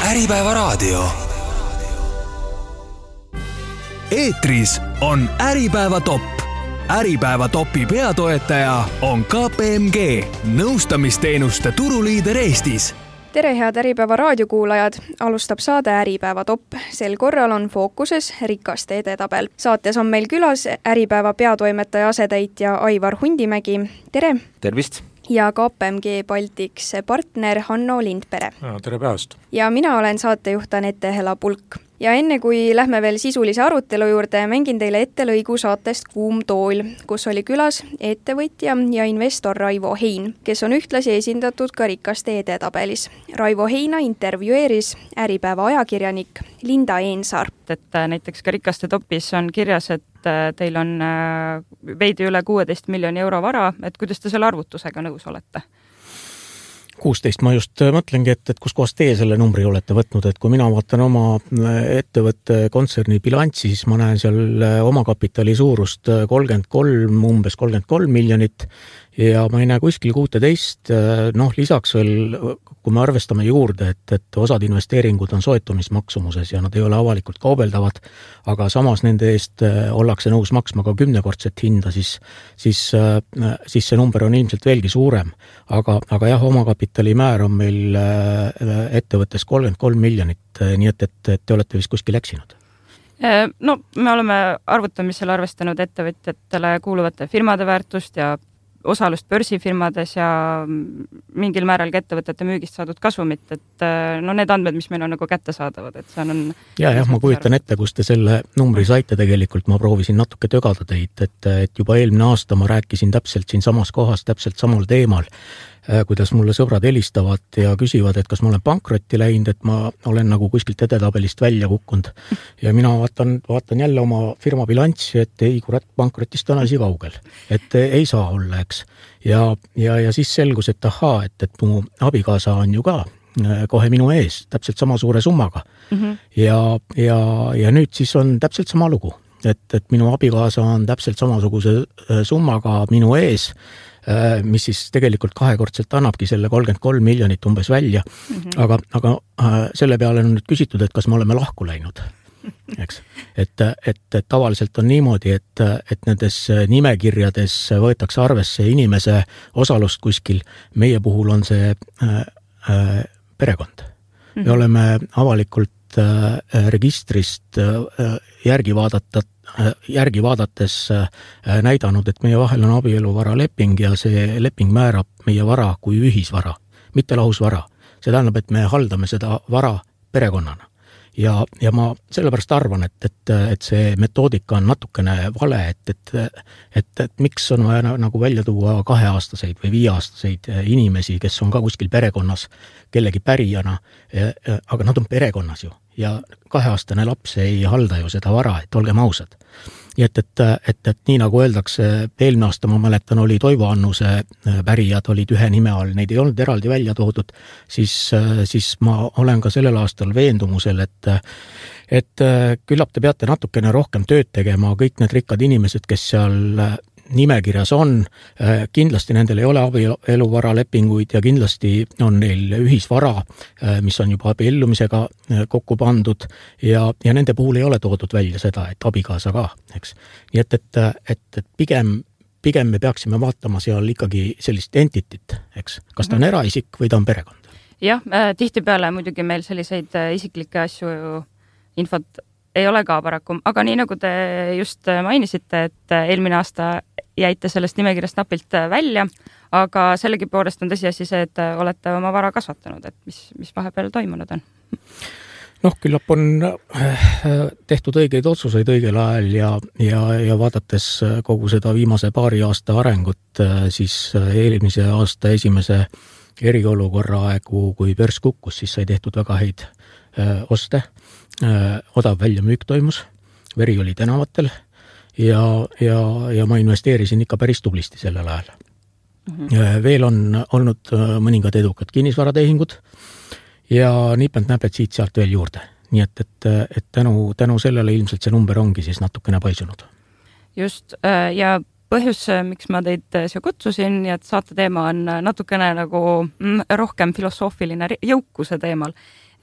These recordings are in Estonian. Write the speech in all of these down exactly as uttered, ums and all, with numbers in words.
Äripäeva raadio. Eetris on Äripäeva top. Äripäeva topi peatoetaja on K P M G, nõustamisteenuste turuliider Eestis. Tere head Äripäeva raadiokuulajad, alustab saade Äripäeva top. Sel korral on fookuses rikaste edetabel. Saates on meil külas Äripäeva peatoimetaja asetäitja Aivar Hundimägi. Tere! Tervist! Ja K P M G Baltics partner Hanno Lindpere. Ja, tere päevast! Ja mina olen saatejuht Anette Hela-Pulk. Ja enne kui lähme veel sisulise arutelu juurde, mängin teile ette lõigu saatest Kuum tool, kus oli külas ettevõtja ja investor Raivo Hein, kes on ühtlasi esindatud ka rikaste edetabelis. Raivo Heina intervjueeris Äripäeva ajakirjanik Linda Eensaar. Et näiteks ka rikaste topis on kirjas, et teil on veidi üle kuusteist miljoni euro vara, et kuidas te selle arvutusega nõus olete? kuusteist ma just mõtlengi, et, et kus kohas teie selle numbri olete võtnud, et kui mina vaatan oma ettevõtte kontserni bilanssi, siis ma näen seal omakapitali suurust kolmkümmend kolm, umbes kolmkümmend kolm miljonit ja ma ei näe kuskil kuusteist, noh lisaks veel, kui me arvestame juurde, et, et osad investeeringud on soetumismaksumuses ja nad ei ole avalikult kaubeldavad, aga samas nende eest ollakse nõus maksma ka kümnekordset hinda, siis, siis, siis see number on ilmselt veelgi suurem. Aga, aga jah, omakapitali määr on meil ettevõttes kolmkümmend kolm miljonit, nii et, et, et te olete vist kuskil eksinud. No, me oleme arvutamisel arvestanud ettevõtjatele kuuluvate firmade väärtust ja osalust börsifirmades ja mingil määral ka ettevõtete müügist saadud kasumit, et no need andmed, mis meil on nagu kätte saadavad, et see on... Ja, jah, ma kujutan ette, kus te selle numbri saite tegelikult, ma proovisin natuke tögada teid, et, et juba eelmine aasta ma rääkisin täpselt siin samas kohas, täpselt samal teemal, kuidas mulle sõbrad helistavad ja küsivad, et kas ma olen pankrotti läinud, et ma olen nagu kuskilt edetabelist välja kukkunud. Ja mina vaatan, vaatan jälle oma firma bilanssi, et ei kurat, pankrotist on asi kaugel. Et ei saa olla, eks. Ja, ja, ja siis selgus, et ahaa, et, et mu abikaasa on ju ka kohe minu ees, täpselt sama suure summaga. Mm-hmm. Ja, ja, ja nüüd siis on täpselt sama lugu. Et, et minu abikaasa on täpselt samasuguse summaga minu ees, mis siis tegelikult kahekordselt annabki selle kolmkümmend kolm miljonit umbes välja, mm-hmm. aga, aga selle peale on nüüd küsitud, et kas me oleme lahku läinud. Eks? Et, et, et tavaliselt on niimoodi, et, et nendes nimekirjades võetakse arvesse inimese osalust kuskil, meie puhul on see äh, äh, perekond. Mm-hmm. Me oleme avalikult äh, registrist äh, järgi vaadata järgi vaadates näidanud, et meie vahel on abieluvara leping ja see leping määrab meie vara kui ühisvara, mitte lahusvara. See tähendab, et me haldame seda vara perekonnana. Ja, ja ma sellepärast arvan, et, et, et see metoodika on natukene vale, et, et, et, et miks on vaja nagu välja tuua kaheaastaseid või viieaastaseid inimesi, kes on ka kuskil perekonnas kellegi pärijana, aga nad on perekonnas ju. Ja kaheaastane laps ei halda ju seda vara, et olgem ausad. Nii et, et, et, et nii nagu öeldakse, eelmine aasta ma mäletan, oli Toivo Annuse pärijad, olid ühe nime all, neid ei olnud eraldi välja toodud, siis, siis ma olen ka sellel aastal veendumusel, et, et küllap te peate natukene rohkem tööd tegema, kõik need rikkad inimesed, kes seal nimekirjas on, kindlasti nendel ei ole abieluvara lepinguid ja kindlasti on neil ühisvara, mis on juba abiellumisega kokku pandud ja, ja nende puhul ei ole toodud välja seda, et abikaasa ka, eks. Nii et, et, et, et pigem, pigem me peaksime vaatama seal ikkagi sellist entitit, eks. Kas ta on eraisik või ta on perekond? Jah, tihtipeale muidugi meil selliseid isiklikke asju infot ei ole ka paraku, aga nii nagu te just mainisite, et eelmine aasta jäite sellest nimekirjast napilt välja, aga sellegi poolest on tõsiasi see, et olete oma vara kasvatanud, et mis, mis vahepeal toimunud on? Noh, küllap on tehtud õigeid otsuseid õigel ajal ja, ja, ja vaadates kogu seda viimase paari aasta arengut, siis eelmise aasta esimese eriolukorra aegu, kui börs kukkus, siis sai tehtud väga häid oste. Odav väljamüük toimus, veri oli tänavatel ja, ja, ja ma investeerisin ikka päris tublisti sellel ajal. Mm-hmm. Veel on olnud mõningad edukad kinnisvaratehingud ja nipend näped siit sealt veel juurde. Nii et, et, et tänu, tänu sellele ilmselt see number ongi siis natukene paisunud. Just, ja põhjus, miks ma teid siia kutsusin ja et saate teema on natukene nagu rohkem filosoofiline jõukuse teemal,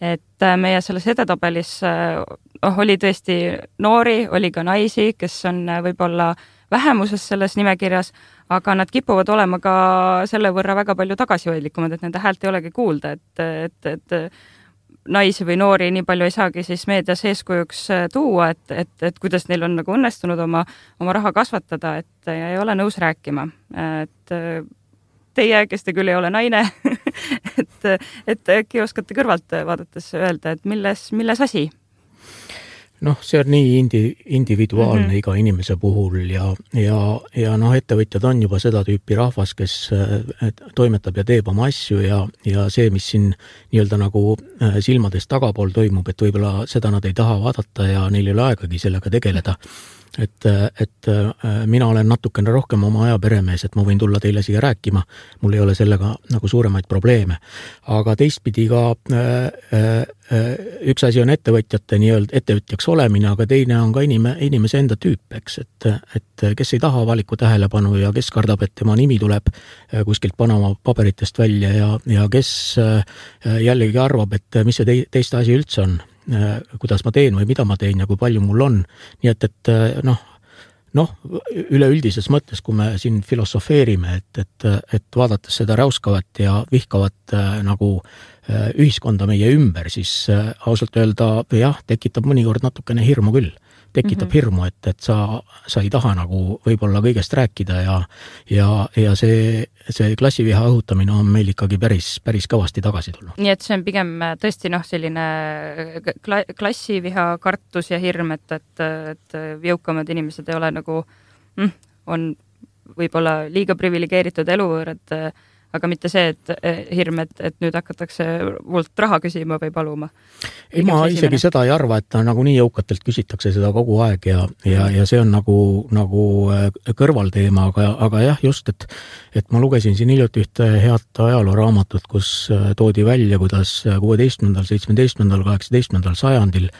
et meie selles edetabelis oh, oli tõesti noori, oli ka naisi, kes on võib-olla vähemuses selles nimekirjas, aga nad kipuvad olema ka selle võrra väga palju tagasihoidlikumad, et nende häält ei olegi kuulda, et, et, et naisi või noori nii palju ei saagi siis meedias eeskujuks tuua, et, et, et kuidas neil on nagu õnnestunud oma, oma raha kasvatada, et ei ole nõus rääkima. Et teie, kes te küll ei ole naine, et, et äkki oskate kõrvalt vaadates öelda, et milles, milles asi? Noh, see on nii indi, individuaalne mm-hmm. iga inimese puhul ja, ja, ja noh, ettevõtjad on juba seda tüüpi rahvas, kes toimetab ja teeb oma asju ja, ja see, mis siin nii-öelda nagu silmades tagapool toimub, et võib-olla seda nad ei taha vaadata ja neil ei ole aegagi sellega tegeleda. Et, et mina olen natukene rohkem oma aja peremees, et ma võin tulla teile siia rääkima, mul ei ole sellega nagu suuremaid probleeme. Aga teistpidi ka üks asi on ettevõtjate nii-öelda ettevõtjaks olemine, aga teine on ka inime, inimese enda tüüp, eks, et, et kes ei taha avalikku tähelepanu ja kes kardab, et tema nimi tuleb kuskilt Panama paberitest välja ja, ja kes jällegi arvab, et mis see teiste asi üldse on, kuidas ma teen või mida ma teen ja kui palju mul on. Nii et, et noh, noh, üleüldises mõttes, kui me siin filosofeerime, et, et, et vaadates seda räuskavat ja vihkavat nagu ühiskonda meie ümber, siis ausalt öelda, jah, tekitab mõnikord natukene hirmu küll. Tekitab mm-hmm. hirmu, et, et sa, sa ei taha nagu võib-olla kõigest rääkida ja, ja, ja see, see klassiviha õhutamine on meil ikkagi päris, päris kõvasti tagasi tulnud. Nii et see on pigem tõesti noh, selline kla- klassiviha kartus ja hirm, et, et, et jõukamad inimesed ei ole nagu, mm, on võib-olla liiga privilegeeritud eluvõõrad, aga mitte see, et hirm, et, et nüüd hakatakse mult raha küsima või paluma. Ei, ma isegi seda ei arva, et nagu nii jõukatelt küsitakse seda kogu aeg ja, ja, ja see on nagu, nagu kõrvalteema, aga, aga jah, just, et, et ma lugesin siin hiljuti ühte head ajalooraamatut, kus toodi välja, kuidas kuueteistkümnendal, seitsmeteistkümnendal, kaheksateistkümnendal sajandil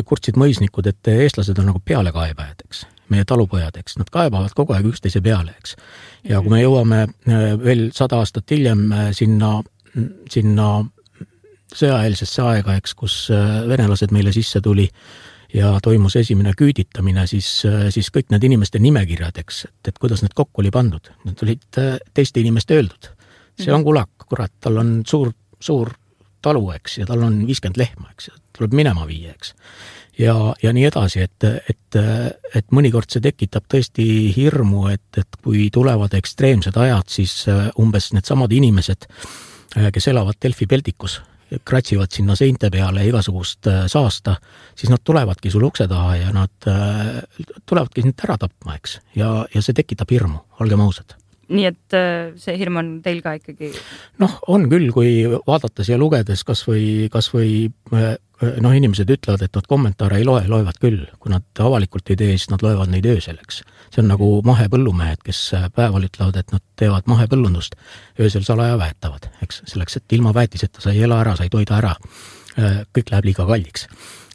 kurtsid mõisnikud, et eestlased on nagu pealekaebajad, eks. Meie talupojad, eks, nad kaebavad kogu aeg üksteise peale, eks. Ja kui me jõuame veel sada aastat hiljem sinna, sinna sõjaeelsesse aega, eks, kus venelased meile sisse tuli ja toimus esimene küüditamine, siis, siis kõik need inimeste nimekirjad, eks, et, et kuidas need kokku oli pandud. Need olid teiste inimeste öeldud. See on kulak, kurat, tal on suur, suur talu, eks, ja tal on viiskümmend lehma, eks, tuleb minema viia, eks. Ja, ja nii edasi, et, et, et mõnikord see tekitab tõesti hirmu, et, et kui tulevad ekstreemsed ajad, siis umbes need samad inimesed, kes elavad Delfi peldikus, kratsivad sinna seinte peale igasugust saasta, siis nad tulevadki sul ukse taha ja nad tulevadki sind ära tapma, eks. Ja, ja see tekitab hirmu, olgem ausad. Nii et see hirm on teil ka ikkagi? Noh, on küll, kui vaadates ja lugedes kas või, kas või noh, inimesed ütlevad, et nad kommentaare ei loe, loevad küll. Kui nad avalikult ei tee, siis nad loevad neid ööselleks. See on nagu mahepõllumehed, kes päeval ütlevad, et nad teevad mahepõllundust, öösel salaja väetavad, eks, selleks, et ilma väetiseta sa ei ela ära, sa ei toida ära. Kõik läheb liiga kalliks.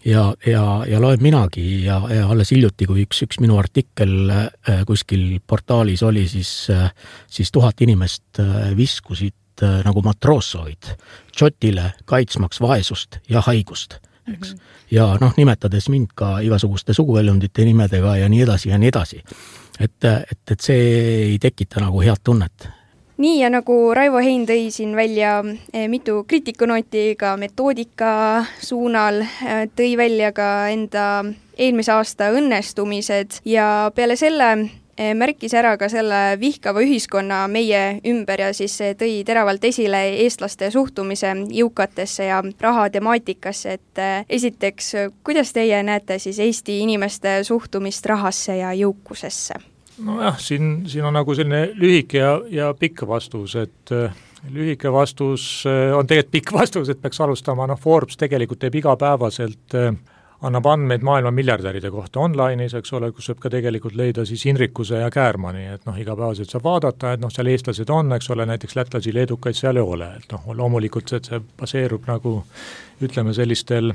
Ja, ja, ja loen minagi ja, ja alles hiljuti, kui üks, üks minu artikkel kuskil portaalis oli, siis, siis tuhat inimest viskusid nagu matroosoid Tšotile kaitsmaks vaesust ja haigust. Eks? Mm-hmm. Ja noh, nimetades mind ka igasuguste suguväljundite nimedega ja nii edasi ja nii edasi. Et, et, et see ei tekita nagu head tunnet. Nii ja nagu Raivo Hein tõi siin välja mitu kriitikunooti ka metoodika suunal, tõi välja ka enda eelmise aasta õnnestumised ja peale selle märkis ära ka selle vihkava ühiskonna meie ümber ja siis tõi teravalt esile eestlaste suhtumise jõukatesse ja raha temaatikasse, et esiteks, kuidas teie näete siis Eesti inimeste suhtumist rahasse ja jõukusesse? No jah, siin, siin on nagu selline lühike ja, ja pikk vastus, et lühike vastus on tegelikult pikk vastus, et peaks alustama, noh, Forbes tegelikult teeb igapäevaselt, annab andmeid maailma miljardäride kohta online'is, eks ole, kus saab ka tegelikult leida siis Hinrikuse ja Käärmani, et noh, igapäevaselt saab vaadata, et noh, seal eestlased on, eks ole, näiteks lätlasi, leedukaid seal ei ole, et noh, loomulikult see, see baseerub nagu ütleme sellistel,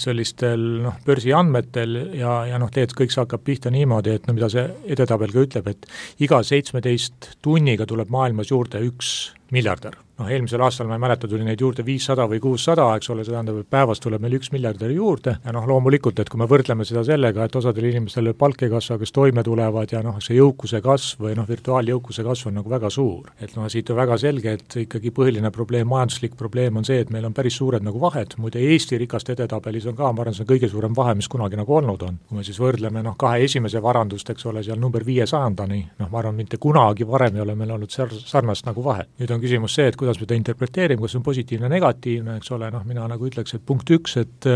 sellistel noh, börsiandmetel ja, ja noh, tegelikult kõik see hakkab pihta niimoodi, et no mida see edetabel ka ütleb, et iga seitsmeteist tunniga tuleb maailmas juurde üks miljardär. Noh, eelmisel aastal ma ei mäleta, tuli neid juurde viissada või kuussada, eks ole, see tähendab, et päevas tuleb meil üks miljardäri juurde ja noh, loomulikult, et kui me võrdleme seda sellega, et osadel inimestel palk ei kasva, kes toime tulevad ja noh, see jõukuse kasv või noh, virtuaaljõukuse kasv on nagu väga suur. Et noh, siit on väga selge, et ikkagi põhiline probleem, majanduslik probleem on see, et meil on päris suured nagu vahed, muide Eesti rikaste edetabelis on ka, ma arvan, see on kõige suurem vahe, mis kunagi nagu olnud on. Kui me siis võrdleme noh, kahe esimese varandust, eks ole, seal number viiesajandani, noh, ma arvan, mitte kunagi varem ei ole meil olnud sarnast nagu vahe. Nüüd on küsimus see, et kuidas me ta interpreteerime, kas on positiivne, negatiivne, eks ole, noh, mina nagu ütleks, et punkt üks, et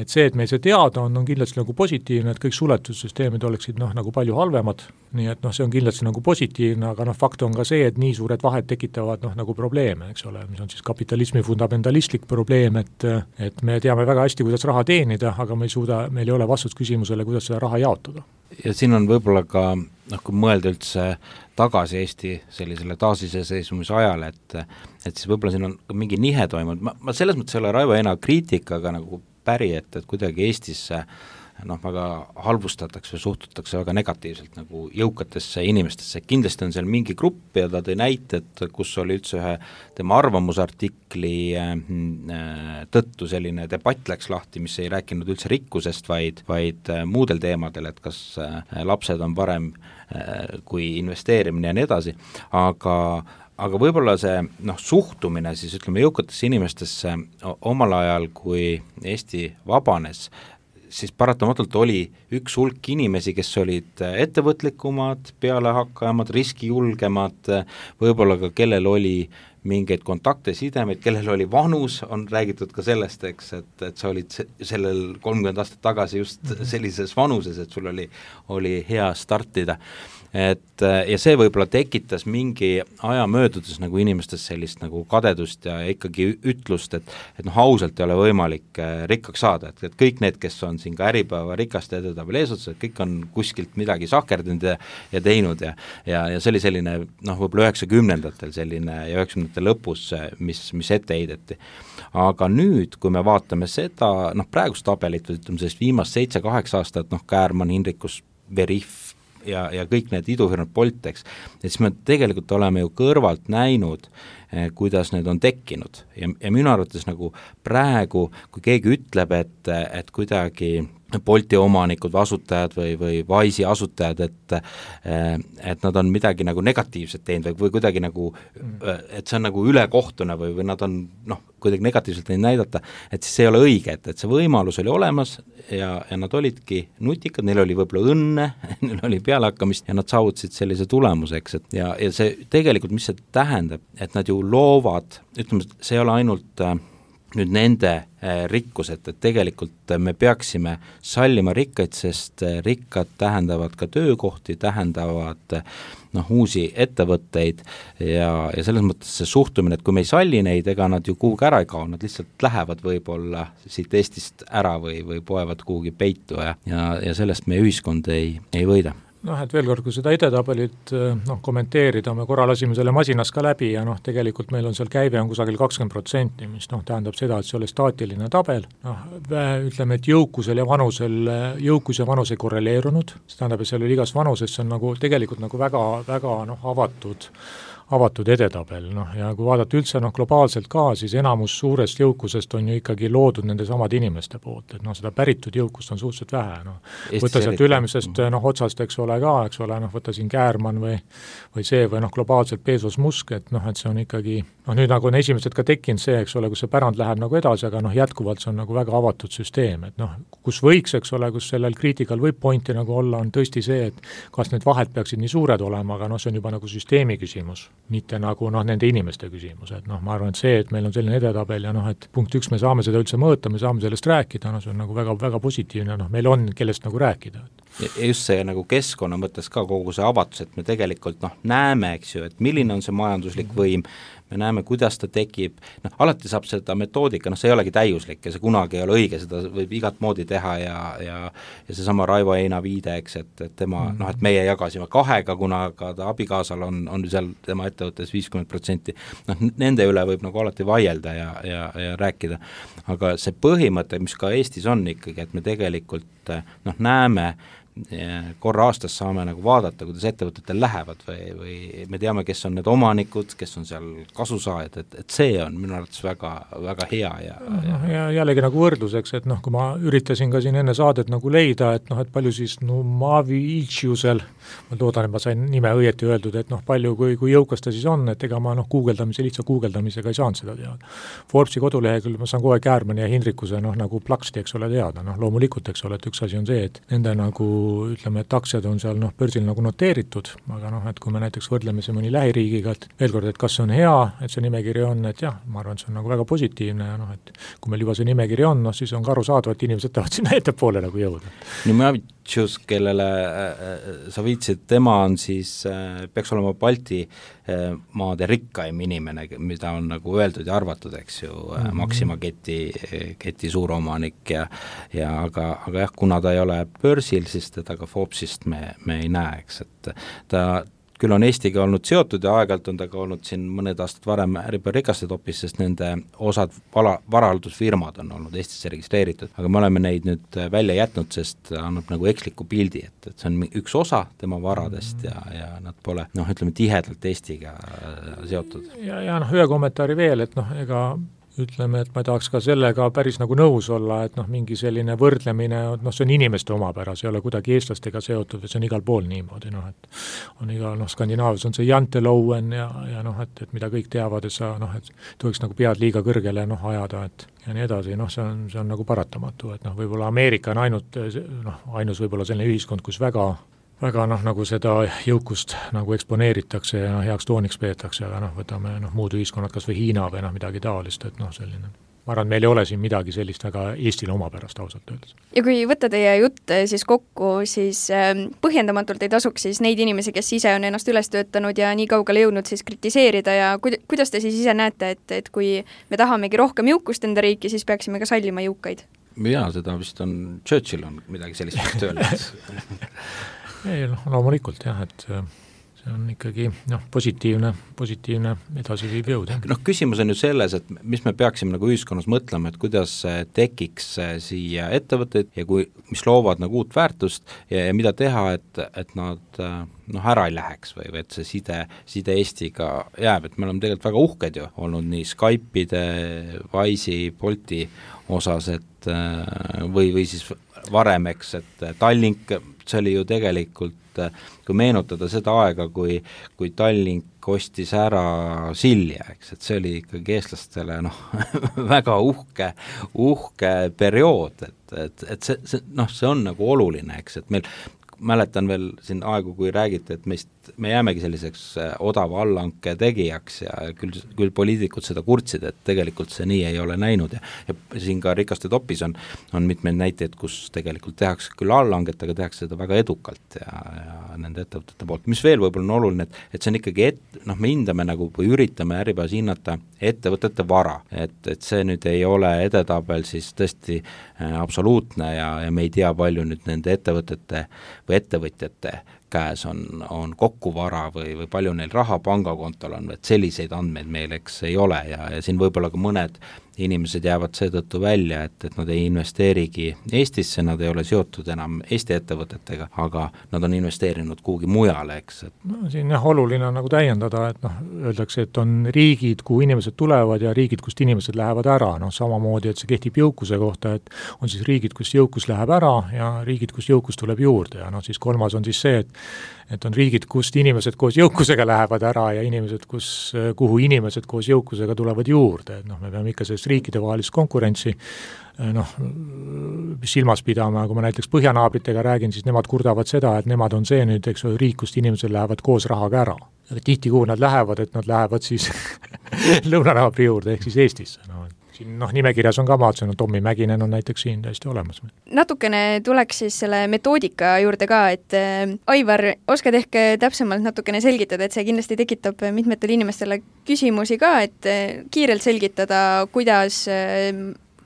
et see, et meil see teada on, on kindlasti nagu positiivne, et kõik suletussüsteemid oleksid noh, nagu palju halvemad, nii et noh, see on kindlasti nagu positiivne, aga noh, fakt on ka see, et nii suured vahed tekitavad noh, nagu probleeme, eks ole, mis on siis kapitalismi fundamentalistlik probleem, et et me teame väga hästi, kuidas raha teenida, aga me ei suuda, meil ei ole vastust küsimusele, kuidas seda raha jaotada. Ja siin on võib-olla ka, noh, kui mõelda üldse tagasi Eesti sellisele taasiseseisvumise ajale, et, et siis võib-olla siin on mingi nihe toimunud, ma, ma selles mõttes ei ole Raivo Eina kriitikaga nagu päri, et, et kuidagi Eestisse noh, väga halvustatakse või suhtutakse väga negatiivselt nagu jõukatesse inimestesse, kindlasti on seal mingi grupp ja ta tõi näited, kus oli üldse ühe tema arvamusartikli tõttu selline debatt läks lahti, mis ei rääkinud üldse rikkusest, vaid, vaid muudel teemadel, et kas lapsed on parem kui investeerimine ja nii edasi, aga aga võib-olla see noh, suhtumine siis ütleme jõukatesse inimestesse omal ajal, kui Eesti vabanes, siis paratamatult oli üks hulk inimesi, kes olid ettevõtlikumad, pealehakkajamad, riskijulgemad, võib-olla ka kellel oli mingeid kontakte, sidemeid, kellel oli vanus, on räägitud ka sellest, eks, et, et sa olid sellel kolmkümmend aastat tagasi just sellises vanuses, et sul oli, oli hea startida. Et, ja see võib-olla tekitas mingi aja möödudes nagu inimestes sellist nagu kadedust ja ikkagi ütlust, et, et noh, ausalt ei ole võimalik rikkaks saada, et, et kõik need, kes on siin ka Äripäeva rikaste edetabel eesotsas, et kõik on kuskilt midagi sahkerdinud ja, ja teinud ja, ja, ja see oli selline noh, võib-olla üheksakümnendatel selline ja üheksakümnendate lõpus, mis, mis ette heideti. Aga nüüd, kui me vaatame seda, noh praegust tabelit, ütleme sellest viimast seitse-kaheksa aastat, noh Käärmann, Hinrikus, Veriff, ja, ja kõik need idufirmad Boltex, et siis me tegelikult oleme ju kõrvalt näinud, eh, kuidas need on tekkinud ja, ja minu arvates nagu praegu, kui keegi ütleb, et, et kuidagi Bolti omanikud või asutajad või, või Wise'i asutajad, et, et nad on midagi nagu negatiivset teinud või, või kuidagi nagu, et see on nagu ülekohtune või, või nad on noh, kuidagi negatiivselt neid näidata, et siis see ei ole õige, et, et see võimalus oli olemas ja, ja nad olidki nutikad, neil oli võib-olla õnne, neil oli pealehakkamist ja nad saavutasid sellise tulemuseks, et ja, ja see tegelikult, mis see tähendab, et nad ju loovad, ütleme, see ei ole ainult nüüd nende rikkused, et tegelikult me peaksime sallima rikkaid, sest rikkad tähendavad ka töökohti, tähendavad noh, uusi ettevõtteid ja, ja selles mõttes see suhtumine, et kui me ei salli neid, ega nad ju kuhugi ära ei kao, nad lihtsalt lähevad võib-olla siit Eestist ära või, või poevad kuhugi peitu ja, ja, ja sellest meie ühiskond ei, ei võida. Noh, et veel kord, kui seda edetabelit noh, kommenteerida, me korra lasime selle masinas ka läbi ja noh, tegelikult meil on seal käive on kusagil kakskümmend protsenti, mis noh, tähendab seda, et see oli staatiline tabel, noh, ütleme, et jõukusel ja vanusel, jõukus ja vanus ei korreleerunud, see tähendab, et seal oli igas vanuses, see on nagu tegelikult nagu väga, väga noh, avatud avatud edetabel, noh ja kui vaadata üldse noh, globaalselt ka, siis enamus suurest jõukusest on ju ikkagi loodud nende samad inimeste poolt, et noh, seda päritud jõukust on suhteliselt vähe, noh. võtta sealt ülemisest noh, otsast, eks ole ka, eks ole, noh, võtta siin Käärmann või, või see või noh, globaalselt Bezos Musk, et noh, et see on ikkagi, noh nüüd nagu on esimesed ka tekkinud see, eks ole, kus see pärand läheb nagu edasi, aga noh, jätkuvalt see on nagu väga avatud süsteem, et noh, kus võiks, eks ole, kus sellel kriitikal võib pointi nagu olla, on tõesti see, et kas need vahed peaksid nii suured olema, aga noh, see on juba nagu süsteemi küsimus, mitte nagu noh, nende inimeste küsimus, et noh, ma arvan, et see, et meil on selline edetabel ja noh, et punkt üks, me saame seda üldse mõõta, me saame sellest rääkida, no see on nagu väga, väga positiivne, noh, meil on kellest nagu rääkida. Ja just see nagu keskkonna mõttes ka kogu see avatus, et me tegelikult noh, näeme, eks ju, et milline on see majanduslik võim, me näeme, kuidas ta tekib, noh, alati saab seda metoodika, noh, see ei olegi täiuslik ja see kunagi ei ole õige, seda võib igat moodi teha ja, ja, ja seesama Raivo Eina viide, eks, et, et tema, mm. noh, et meie jagasime kahega, kuna ka ta abikaasal on, on seal tema ettevõttes viiskümmend protsenti, noh, nende üle võib nagu alati vaielda ja, ja, ja rääkida, aga see põhimõte, mis ka Eestis on ikkagi, et me tegelikult noh, näeme korra aastas saame nagu vaadata, kuidas ettevõtetel lähevad või, või me teame, kes on need omanikud, kes on seal kasusaajad, et, et see on minu arvates väga, väga hea ja, ja... ja jällegi nagu võrdluseks, et noh, kui ma üritasin ka siin enne saadet nagu leida, et noh, et palju siis no Maviiciusel, ma loodan, et ma sain nime õieti öeldud, et noh, palju, kui, kui jõukas ta siis on, et ega ma noh, guugeldamise, lihtsa guugeldamisega ei saanud seda teada. Forbesi kodulehekülg ma saan kohe Käärmani ja Hindrikuse noh, nagu plaksti, eks ole, teada, noh, loomulikult, eks ole, et üks asi on see, et nende nagu ütleme, et aktsiad on seal noh, börsil nagu noteeritud, aga noh, et kui me näiteks võrdleme see mõni lähiriigiga, et veel kord, et kas see on hea, et see nimekiri on, et jah, ma arvan, et see on nagu väga positiivne ja noh, et kui meil juba see nimekiri on, noh, siis on ka arusaadav, et inimesed tahavad sinna ettepoole nagu jõuda. No Maviicius, kellele äh, sa viitsid, tema on siis, äh, peaks olema Balti äh, maade rikkaim inimene, mida on nagu öeldud ja arvatud, eks ju, äh, mm-hmm. Maxima keti, keti suuromanik ja, ja aga, aga jah, kuna ta ei ole börsil, siis teda ka Forbesist me, me ei näe, eks, et ta küll on Eestiga olnud seotud ja aeg-ajalt on ta ka olnud siin mõned aastad varem Äripäeva rikaste topis, sest nende osad vala, varaldusfirmad on olnud Eestisse registreeritud, aga me oleme neid nüüd välja jätnud, sest annab nagu eksliku pildi, et, et see on üks osa tema varadest ja, ja nad pole, noh, ütleme tihedalt Eestiga seotud. Ja, ja noh, ühe kommentaari veel, et noh, ega ütleme, et ma ei tahaks ka sellega päris nagu nõus olla, et noh, mingi selline võrdlemine, noh, see on inimeste omapära, see ei ole kuidagi eestlastega seotud, et see on igal pool niimoodi, noh, et on igal, noh, Skandinaavias on see Jantelouen ja, ja noh, et, et mida kõik teavad, et sa, noh, et tohiks nagu pead liiga kõrgele, noh, ajada, et ja nii edasi, noh, see on, see on nagu paratamatu, et noh, võib-olla Ameerika on ainult, noh, ainus võib-olla selline ühiskond, kus väga väga noh, nagu seda jõukust nagu eksponeeritakse ja noh, heaks tooniks peetakse, aga noh, võtame noh, muud ühiskonnad, kas või Hiina või noh, midagi taolist, et noh, selline ma arvan, meil ei ole siin midagi sellist väga Eestile omapärast ausalt öeldes. Ja kui võtta teie jutt siis kokku, siis põhjendamatult ei tasuks siis neid inimesi, kes ise on ennast üles töötanud ja nii kaugele jõudnud siis kritiseerida ja kuidas te siis ise näete, et, et kui me tahamegi rohkem jõukust enda riiki, siis peaksime ka sallima jõukaid? Jaa, seda vist on, Churchill on midagi sellist öelnud. ei, noh, loomulikult jah, et see on ikkagi noh, positiivne, positiivne edasiviiv jõud. Noh, küsimus on ju selles, et mis me peaksime nagu ühiskonnas mõtlema, et kuidas tekiks siia ettevõtteid ja kui, mis loovad nagu uut väärtust ja, ja mida teha, et, et nad noh, ära ei läheks või, või et see side, side Eestiga jääb, et me oleme tegelikult väga uhked ju olnud nii Skype'ide, Wise'i, Bolti osas, et või, või siis varem, eks, et Tallink, see oli ju tegelikult, kui meenutada seda aega, kui, kui Tallink ostis ära Silja, eks, et see oli ikkagi eestlastele noh, väga uhke, uhke periood, et, et, et see, see, noh, see on nagu oluline, eks, et meil mäletan veel siin aegu, kui räägiti, et meist, me jäämegi selliseks odava allanke tegijaks ja küll, küll poliitikud seda kurtsid, et tegelikult see nii ei ole näinud ja, ja siin ka rikaste topis on, on mitmeid näiteid, kus tegelikult tehakse küll allanget, aga tehakse seda väga edukalt ja, ja nende ettevõtete poolt. Mis veel võib-olla on oluline, et, et see on ikkagi, et, noh, me hindame nagu või üritame Äripäevas hinnata ettevõtete vara, et, et see nüüd ei ole edetabel siis tõesti äh, absoluutne ja, ja me ei tea palju nüüd nende ettevõtete või ettevõtjate käes on, on kokkuvara või, või palju neil raha pangakontol on, et selliseid andmeid meil eks ei ole ja, ja siin võib-olla ka mõned inimesed jäävad seetõttu välja, et, et nad ei investeerigi Eestisse, nad ei ole seotud enam Eesti ettevõtetega, aga nad on investeerinud kuhugi mujale, eks. Et... No, siin jah, oluline on nagu täiendada, et noh, öeldakse, et on riigid, kuhu inimesed tulevad ja riigid, kust inimesed lähevad ära, noh samamoodi, et see kehtib jõukuse kohta, et on siis riigid, kus jõukus läheb ära ja riigid, kus jõukus tuleb juurde ja noh, siis kolmas on siis see, et et on riigid, kust inimesed koos jõukusega lähevad ära ja inimesed, kus, kuhu inimesed koos jõukusega tulevad juurde, et noh, me peame ikka sellest riikide vahelist konkurentsi noh, silmas pidama, kui ma näiteks põhjanaabritega räägin, siis nemad kurdavad seda, et nemad on see nüüd, eks ole, riik, kust inimesed lähevad koos rahaga ära. Aga tihti, kuhu nad lähevad, et nad lähevad siis lõunanaabri juurde, ehk siis Eestisse, noh, siin noh, nimekirjas on ka maadsen, no Tommi Mäkinen on näiteks siin täiesti olemas. Natukene tuleks siis selle metoodika juurde ka, et äh, Aivar, oskad ehk täpsemalt natukene selgitada, et see kindlasti tekitab mitmetele inimestele küsimusi ka, et äh, kiirelt selgitada, kuidas äh,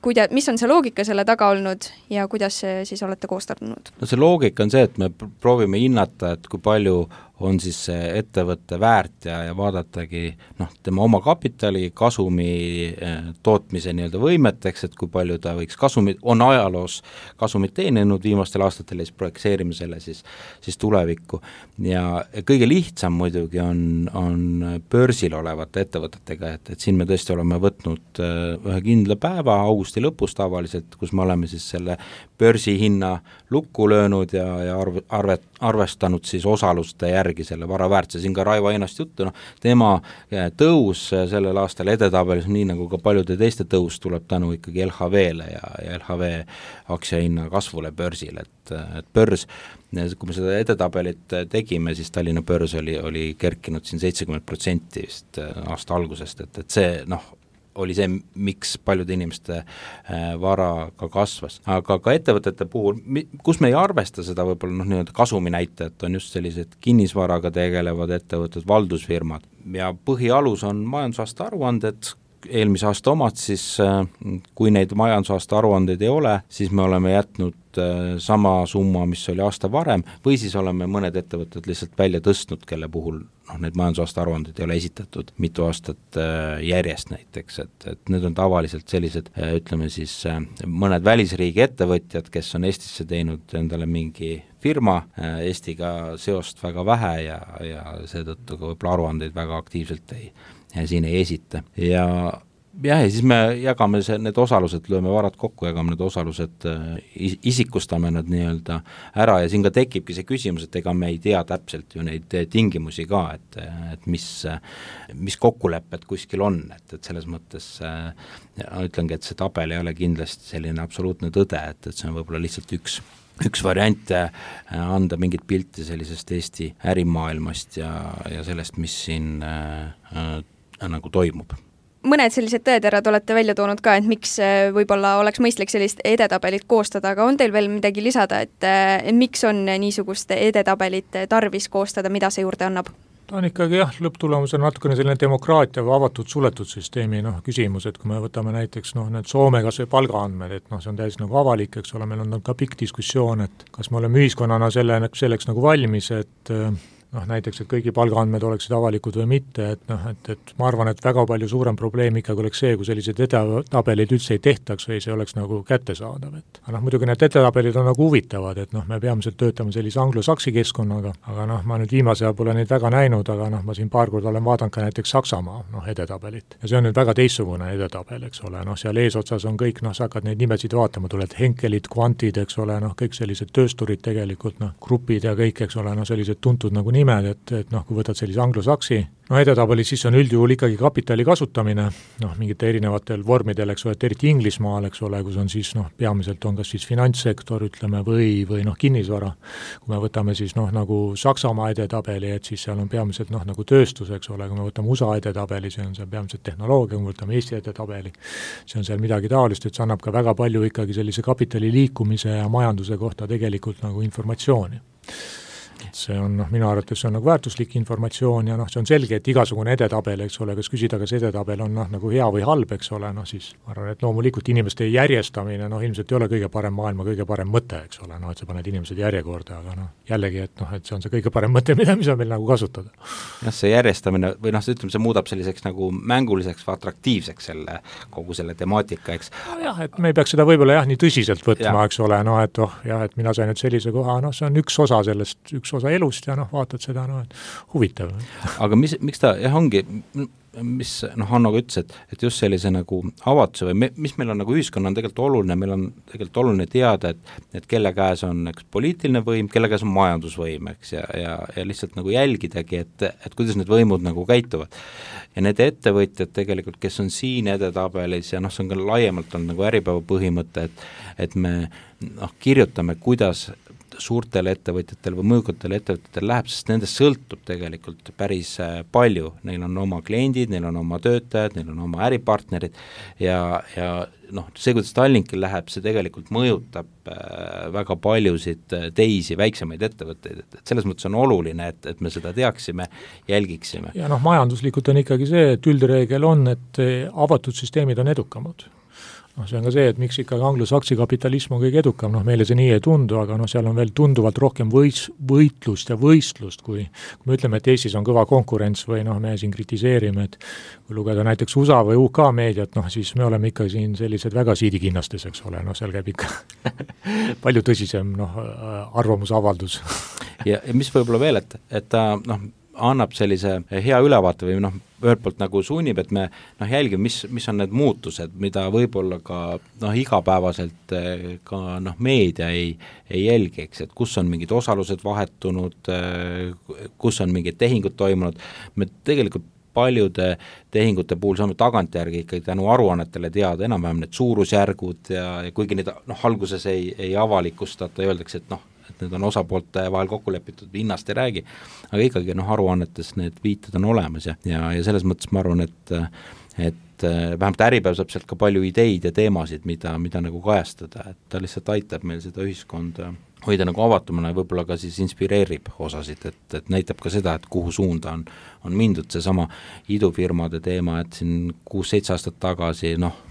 Kuida, mis on see loogika selle taga olnud ja kuidas see siis olete koostanud? No see loogika on see, et me proovime hinnata, et kui palju on siis see ettevõtte väärt ja, ja vaadatagi noh, tema oma kapitali, kasumi eh, tootmise nii-öelda võimeteks, et kui palju ta võiks kasumit, on ajaloos kasumit teeninud viimastel aastatel ja siis projekseerime selle siis, siis tulevikku. Ja kõige lihtsam muidugi on, on börsil olevate ettevõtetega, et, et siin me tõesti oleme võtnud ühe kindla päeva augusti lõpus tavaliselt, kus me oleme siis selle börsihinna lukku löönud ja, ja arve, arve, arvestanud siis osaluste järgi selle vara väärtuse. Siin ka Raivo Einast juttu, noh, tema tõus sellel aastal edetabelis, nii nagu ka paljude teiste tõus, tuleb tänu ikkagi L H V-le ja, ja L H V aktsiahinna kasvule börsil, et, et börs, kui me seda edetabelit tegime, siis Tallinna börs oli, oli kerkinud siin seitsekümmend protsenti vist aasta algusest, et, et see, noh, oli see, miks paljude inimeste vara ka kasvas. Aga ka ettevõtete puhul, kus me ei arvesta seda võib-olla noh, nii-öelda kasumi näitajat, on just sellised kinnisvaraga tegelevad ettevõtted, valdusfirmad ja põhialus on majandusaasta aruanded, eelmise aasta omad, siis kui neid majandusaasta aruandeid ei ole, siis me oleme jätnud sama summa, mis oli aasta varem, või siis oleme mõned ettevõtted lihtsalt välja tõstnud, kelle puhul noh, need majandusaasta aruanded ei ole esitatud mitu aastat järjest näiteks, et, et need on tavaliselt sellised, ütleme siis mõned välisriigi ettevõtjad, kes on Eestisse teinud endale mingi firma, Eestiga seost väga vähe ja, ja seetõttu ka võib-olla aruandeid väga aktiivselt ei, ja siin ei esita. Ja jah, ja siis me jagame see, need osalused, lööme varad kokku, jagame need osalused, isikustame nad nii-öelda ära ja siin ka tekibki see küsimus, et ega me ei tea täpselt ju neid tingimusi ka, et, et mis, mis kokkulepped kuskil on, et, et selles mõttes ütlengi, et see tabel ei ole kindlasti selline absoluutne tõde, et, et see on võib-olla lihtsalt üks üks variant anda mingit pilti sellisest Eesti ärimaailmast ja, ja sellest, mis siin äh, äh, nagu toimub. Mõned sellised tõeterad olete välja toonud ka, et miks võib-olla oleks mõistlik sellist edetabelit koostada, aga on teil veel midagi lisada, et, et miks on niisugust edetabelit tarvis koostada, mida see juurde annab? Ta on ikkagi jah, lõpptulemus on natukene selline demokraatia või avatud suletud süsteemi noh, küsimus, et kui me võtame näiteks noh, need Soome kas või palgaandmed, et noh, see on täiesti nagu avalik, eks ole, meil on ka pikk diskussioon, et kas me oleme ühiskonnana selle, selleks nagu valmis, et noh, näiteks, et kõigi palgaandmed oleksid avalikud või mitte, et noh, et, et ma arvan, et väga palju suurem probleem ikkagi oleks see, kui sellised edetabelid üldse ei tehtaks või see oleks nagu kättesaadav, et aga noh, muidugi need edetabelid on nagu huvitavad, et noh, me peamiselt töötame sellise anglosaksi keskkonnaga, aga noh, ma nüüd viimase ajal pole neid väga näinud, aga noh, ma siin paar korda olen vaadanud ka näiteks Saksamaa noh, edetabelit ja see on nüüd väga teistsugune edetabel, eks ole, noh, seal eesotsas on kõik, noh, sa hakkad neid nimesid vaatama, tuled Henkelid, Quantid, eks ole, noh, kõik sellised töösturid tegelikult, noh, grupid ja kõik, eks ole, noh, sellised tuntud nagu nimed, et, et noh, kui võtad sellise anglosaksi, no edetabelis siis on üldjuhul ikkagi kapitali kasutamine, noh, mingite erinevatel vormidel, eks ole, et eriti Inglismaal, eks ole, kus on siis noh, peamiselt on kas siis finantssektor, ütleme, või, või noh, kinnisvara. Kui me võtame siis noh, nagu Saksamaa edetabeli, et siis seal on peamiselt noh, nagu tööstus, eks ole, kui me võtame U S A edetabeli, see on seal peamiselt tehnoloogia, kui me võtame Eesti edetabeli, see on seal midagi taolist, et see annab ka väga palju ikkagi sellise kapitali liikumise ja majanduse kohta tegelikult nagu informatsiooni. See on, noh, minu arvates see on nagu väärtuslik informatsioon ja noh, see on selge, et igasugune edetabel, eks ole, kas küsida, kas edetabel on noh, nagu hea või halb, eks ole, noh siis ma arvan, et loomulikult inimeste järjestamine, noh ilmselt ei ole kõige parem maailma kõige parem mõte, eks ole, noh et sa paned inimesed järjekorda, aga noh, jällegi, et noh, et see on see kõige parem mõte, mida, mis on meil nagu kasutada. jah, see järjestamine või noh, ütleme, see muudab selliseks nagu mänguliseks või atraktiivseks selle, kogu selle temaatika, eks. No jah, et me ei peaks seda võib-olla jah, nii tõsiselt võtma, ja. Eks ole, noh et oh jah, et mina sain nüüd sellise koha, noh see on üks osa sellest, üks osa elust ja noh, vaatad seda, noh, et huvitav. Aga mis, miks ta, jah, ongi, mis, noh, Hanno ka ütles, et, et just sellise nagu avatuse või me, mis meil on nagu ühiskonna on tegelikult oluline, meil on tegelikult oluline teada, et, et kelle käes on üks poliitiline võim, kelle käes on majandusvõim, eks, ja, ja, ja lihtsalt nagu jälgidagi, et, et kuidas need võimud nagu käituvad. Ja need ettevõtjad tegelikult, kes on siin edetabelis ja noh, see on ka laiemalt on nagu Äripäeva põhimõte, et, et me noh, kirjutame, kuidas suurtel ettevõtjatel või mõjukatel ettevõtjatel läheb, sest nendest sõltub tegelikult päris palju, neil on oma kliendid, neil on oma töötajad, neil on oma äripartnerid ja, ja noh, see, kuidas Tallinkil läheb, see tegelikult mõjutab väga paljusid teisi väiksemaid ettevõtteid, et selles mõttes on oluline, et, et me seda teaksime, jälgiksime. Ja noh, majanduslikult on ikkagi see, et üldreegel on, et avatud süsteemid on edukamad. noh, see on ka see, et miks ikkagi anglosaksi kapitalism on kõige edukam, noh meile see nii ei tundu, aga noh, seal on veel tunduvalt rohkem võis, võitlust ja võistlust, kui, kui me ütleme, et Eestis on kõva konkurents või noh, me siin kritiseerime, et kui lugeda näiteks U S A või U K meediat, noh siis me oleme ikka siin sellised väga siidikinnastes, eks ole, noh seal käib ikka palju tõsisem noh, arvamusavaldus. ja, ja mis võib-olla veel, et, et ta noh, annab sellise hea ülevaate või noh, ühelt poolt nagu sunnib, et me noh, jälgime, mis, mis on need muutused, mida võib-olla ka noh, igapäevaselt ka noh, meedia ei, ei jälgi, eks, et kus on mingid osalused vahetunud, kus on mingid tehingud toimunud, me tegelikult paljude tehingute puhul saame tagantjärgi ikkagi tänu aruannetele teada enam-vähem need suurusjärgud ja, ja kuigi neid noh, alguses ei, ei avalikustata, öeldakse, et noh, et need on osapoolte vahel kokku lepitud, hinnast ei räägi, aga ikkagi noh, aruannetes need viited on olemas ja, ja, ja selles mõttes ma arvan, et et vähemalt Äripäev saab sealt ka palju ideid ja teemasid, mida, mida nagu kajastada, et ta lihtsalt aitab meil seda ühiskonda hoida nagu avatumana ja võib-olla ka siis inspireerib osasid, et, et näitab ka seda, et kuhu suunda on, on mindud, seesama idufirmade teema, et siin kuus-seitse aastat tagasi noh,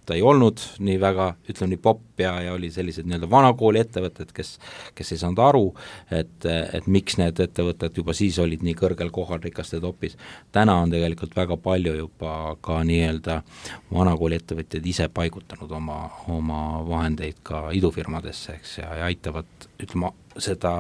ta ei olnud nii väga, ütleme nii popp ja, ja oli sellised nii-öelda vanakooli ettevõtted, kes, kes ei saanud aru, et, et miks need ettevõtted juba siis olid nii kõrgel kohal rikaste topis. Täna on tegelikult väga palju juba ka nii-öelda vanakooli ettevõtjad ise paigutanud oma, oma vahendeid ka idufirmadesse, eks, ja, ja aitavad, ütleme, seda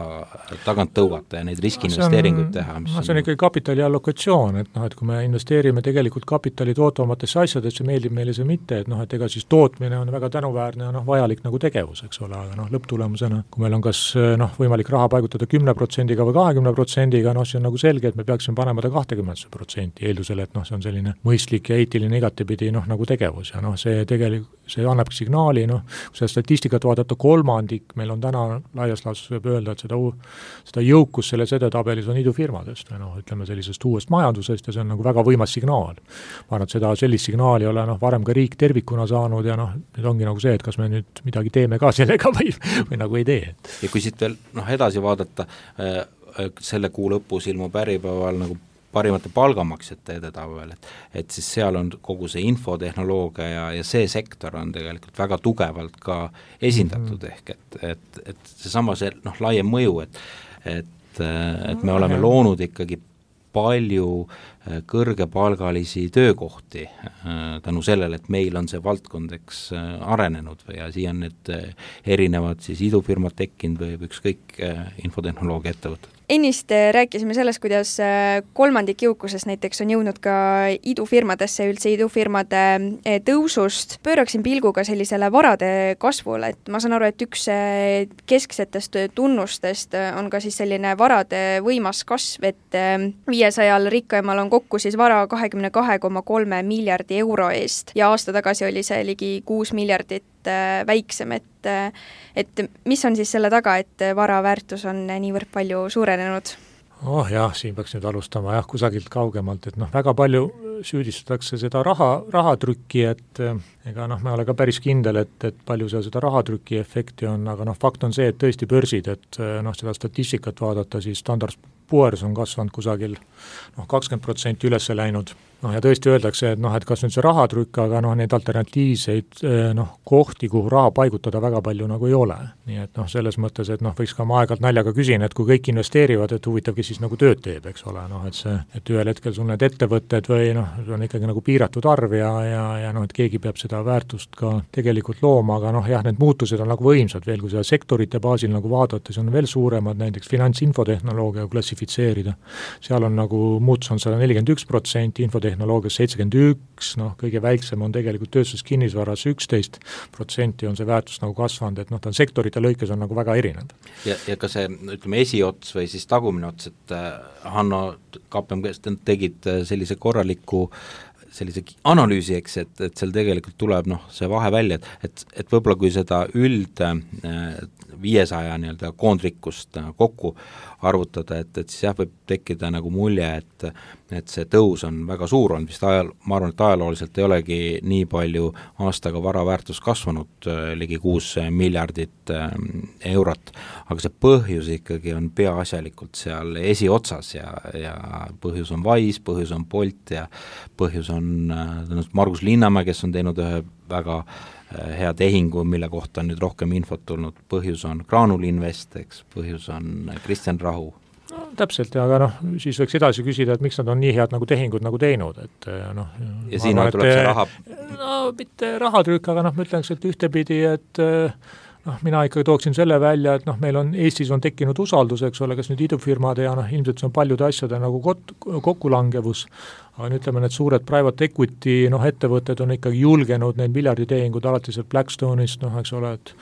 tagant tõugata ja neid riskiinvesteeringuid teha. Mis no, see on ikkagi kapitali allokatsioon, et noh, et kui me investeerime tegelikult kapitali tootvamatesse asjadesse, meeldib meile see mitte, et noh, et ega siis tootmine on väga tänuväärne ja noh, vajalik nagu tegevus, eks ole, aga noh, lõpptulemusena, kui meil on kas noh, võimalik raha paigutada kümne protsendiga või kahekümne protsendiga, noh, see on nagu selge, et me peaksime panema ta kahtekümmet protsenti eeldusele, et noh, see on selline mõistlik ja eetiline igatepidi noh, nagu tegevus ja noh, see tegelikult, see annabki signaali, noh, kui seda statistikat vaadata, kolmandik, meil on täna laias laastus võib öelda, et seda, seda jõukus selles edetabelis on idufirmadest või noh, ütleme sellisest uuest majandusest ja see on nagu väga võimas signaal. Ma arvan, et seda sellist signaali ei ole noh, varem ka riik tervikuna saanud ja noh, nüüd ongi nagu see, et kas me nüüd midagi teeme ka sellega või, või nagu ei tee. Ja kui siit veel noh, edasi vaadata, selle kuu lõpus ilmub Äripäeval nagu parimate palgamaksjate edetabel, et, et siis seal on kogu see infotehnoloogia ja, ja see sektor on tegelikult väga tugevalt ka esindatud mm. ehk et, et, et seesama see noh, laiem mõju, et, et, et me oleme loonud ikkagi palju kõrgepalgalisi töökohti tänu sellele, et meil on see valdkond eks arenenud või ja siia on need erinevad siis idufirmad tekkinud või ükskõik infotehnoloogia ettevõtted. Ennist rääkisime sellest, kuidas kolmandik jõukusest näiteks on jõudnud ka idufirmadesse, üldse idufirmade tõusust. Pööraksin pilguga sellisele varade kasvule, et ma saan aru, et üks kesksetest tunnustest on ka siis selline varade võimas kasv, et viiesajal rikkaimal on kokku siis vara kahekümne kahe koma kolme miljardi euro eest ja aasta tagasi oli see ligi kuus miljardit väiksem, et, et mis on siis selle taga, et vara väärtus on niivõrd palju suurenenud? Oh jah, siin peaks nüüd alustama jah, kusagilt kaugemalt, et noh, väga palju süüdistatakse seda raha, rahatrükki, et ega noh, ma olen ka päris kindel, et, et palju seal seda rahatrükki efekti on, aga noh, fakt on see, et tõesti börsid, et noh, seda statistikat vaadata, siis Standard and Poor's on kasvanud kusagil noh, kakskümmend protsenti üles läinud. Noh, ja tõesti öeldakse, et noh, et kas nüüd see rahatrükk, aga noh, neid alternatiivseid noh, kohti, kuhu raha paigutada väga palju nagu ei ole. Nii et noh, selles mõttes, et noh, võiks ka ma aegalt naljaga küsin, et kui kõik investeerivad, et huvitav, kes siis nagu tööd teeb, eks ole, noh, et see, et ühel hetkel sul need ettevõtted või noh, on ikkagi nagu piiratud arv ja, ja, ja noh, et keegi peab seda väärtust ka tegelikult looma, aga noh, jah, need muutused on nagu võimsad veel, kui seda sektorite baasil nagu vaadata, siis on veel suuremad, näiteks finantsinfotehnoloogia klassifitseerida. Seal on nagu muutus on sada nelikümmend üks protsenti, infotehnoloogias seitsekümmend üks, noh, kõige väiksem on tegelikult tööstuskinnisvaras üksteist protsenti on see väärtus nagu kasvanud, et noh, ta on sektorite lõikes on nagu väga erinev. Ja, ja ka see, ütleme, esiots või siis tagumine ots, et Hanno K P M G tegid sellise korraliku sellise analüüsi, eks, et, et seal tegelikult tuleb noh, see vahe välja, et, et, et võib-olla kui seda üld viiesaja nii-öelda koondrikkust kokku arvutada, et, et siis jah, võib tekkida nagu mulje, et, et see tõus on väga suur olnud, vist ajal, ma arvan, et ajalooliselt ei olegi nii palju aastaga vara väärtus kasvanud, ligi kuus miljardit eurot, aga see põhjus ikkagi on peaasjalikult seal esiotsas ja, ja põhjus on Wise, põhjus on Bolt ja põhjus on Margus Linnamäe, kes on teinud ühe väga hea tehingu, mille kohta on nüüd rohkem infot tulnud, põhjus on Graanul Invest, eks, põhjus on Kristjan Rahu. No, täpselt, aga noh, siis võiks edasi küsida, et miks nad on nii head nagu tehingud nagu teinud, et noh ja siin arvan, tuleb see raha no mitte rahatrükk, aga noh, ma ütleks, et ühtepidi, et noh, mina ikkagi tooksin selle välja, et noh, meil on, Eestis on tekkinud usaldus, eks ole, kas nüüd idufirmade ja noh, ilmselt see on paljude asjade nagu kot, kokkulangevus, aga ütleme, need suured private equity noh, ettevõtted on ikkagi julgenud neid miljarditehingud alates Blackstone'ist, noh, eks ole, et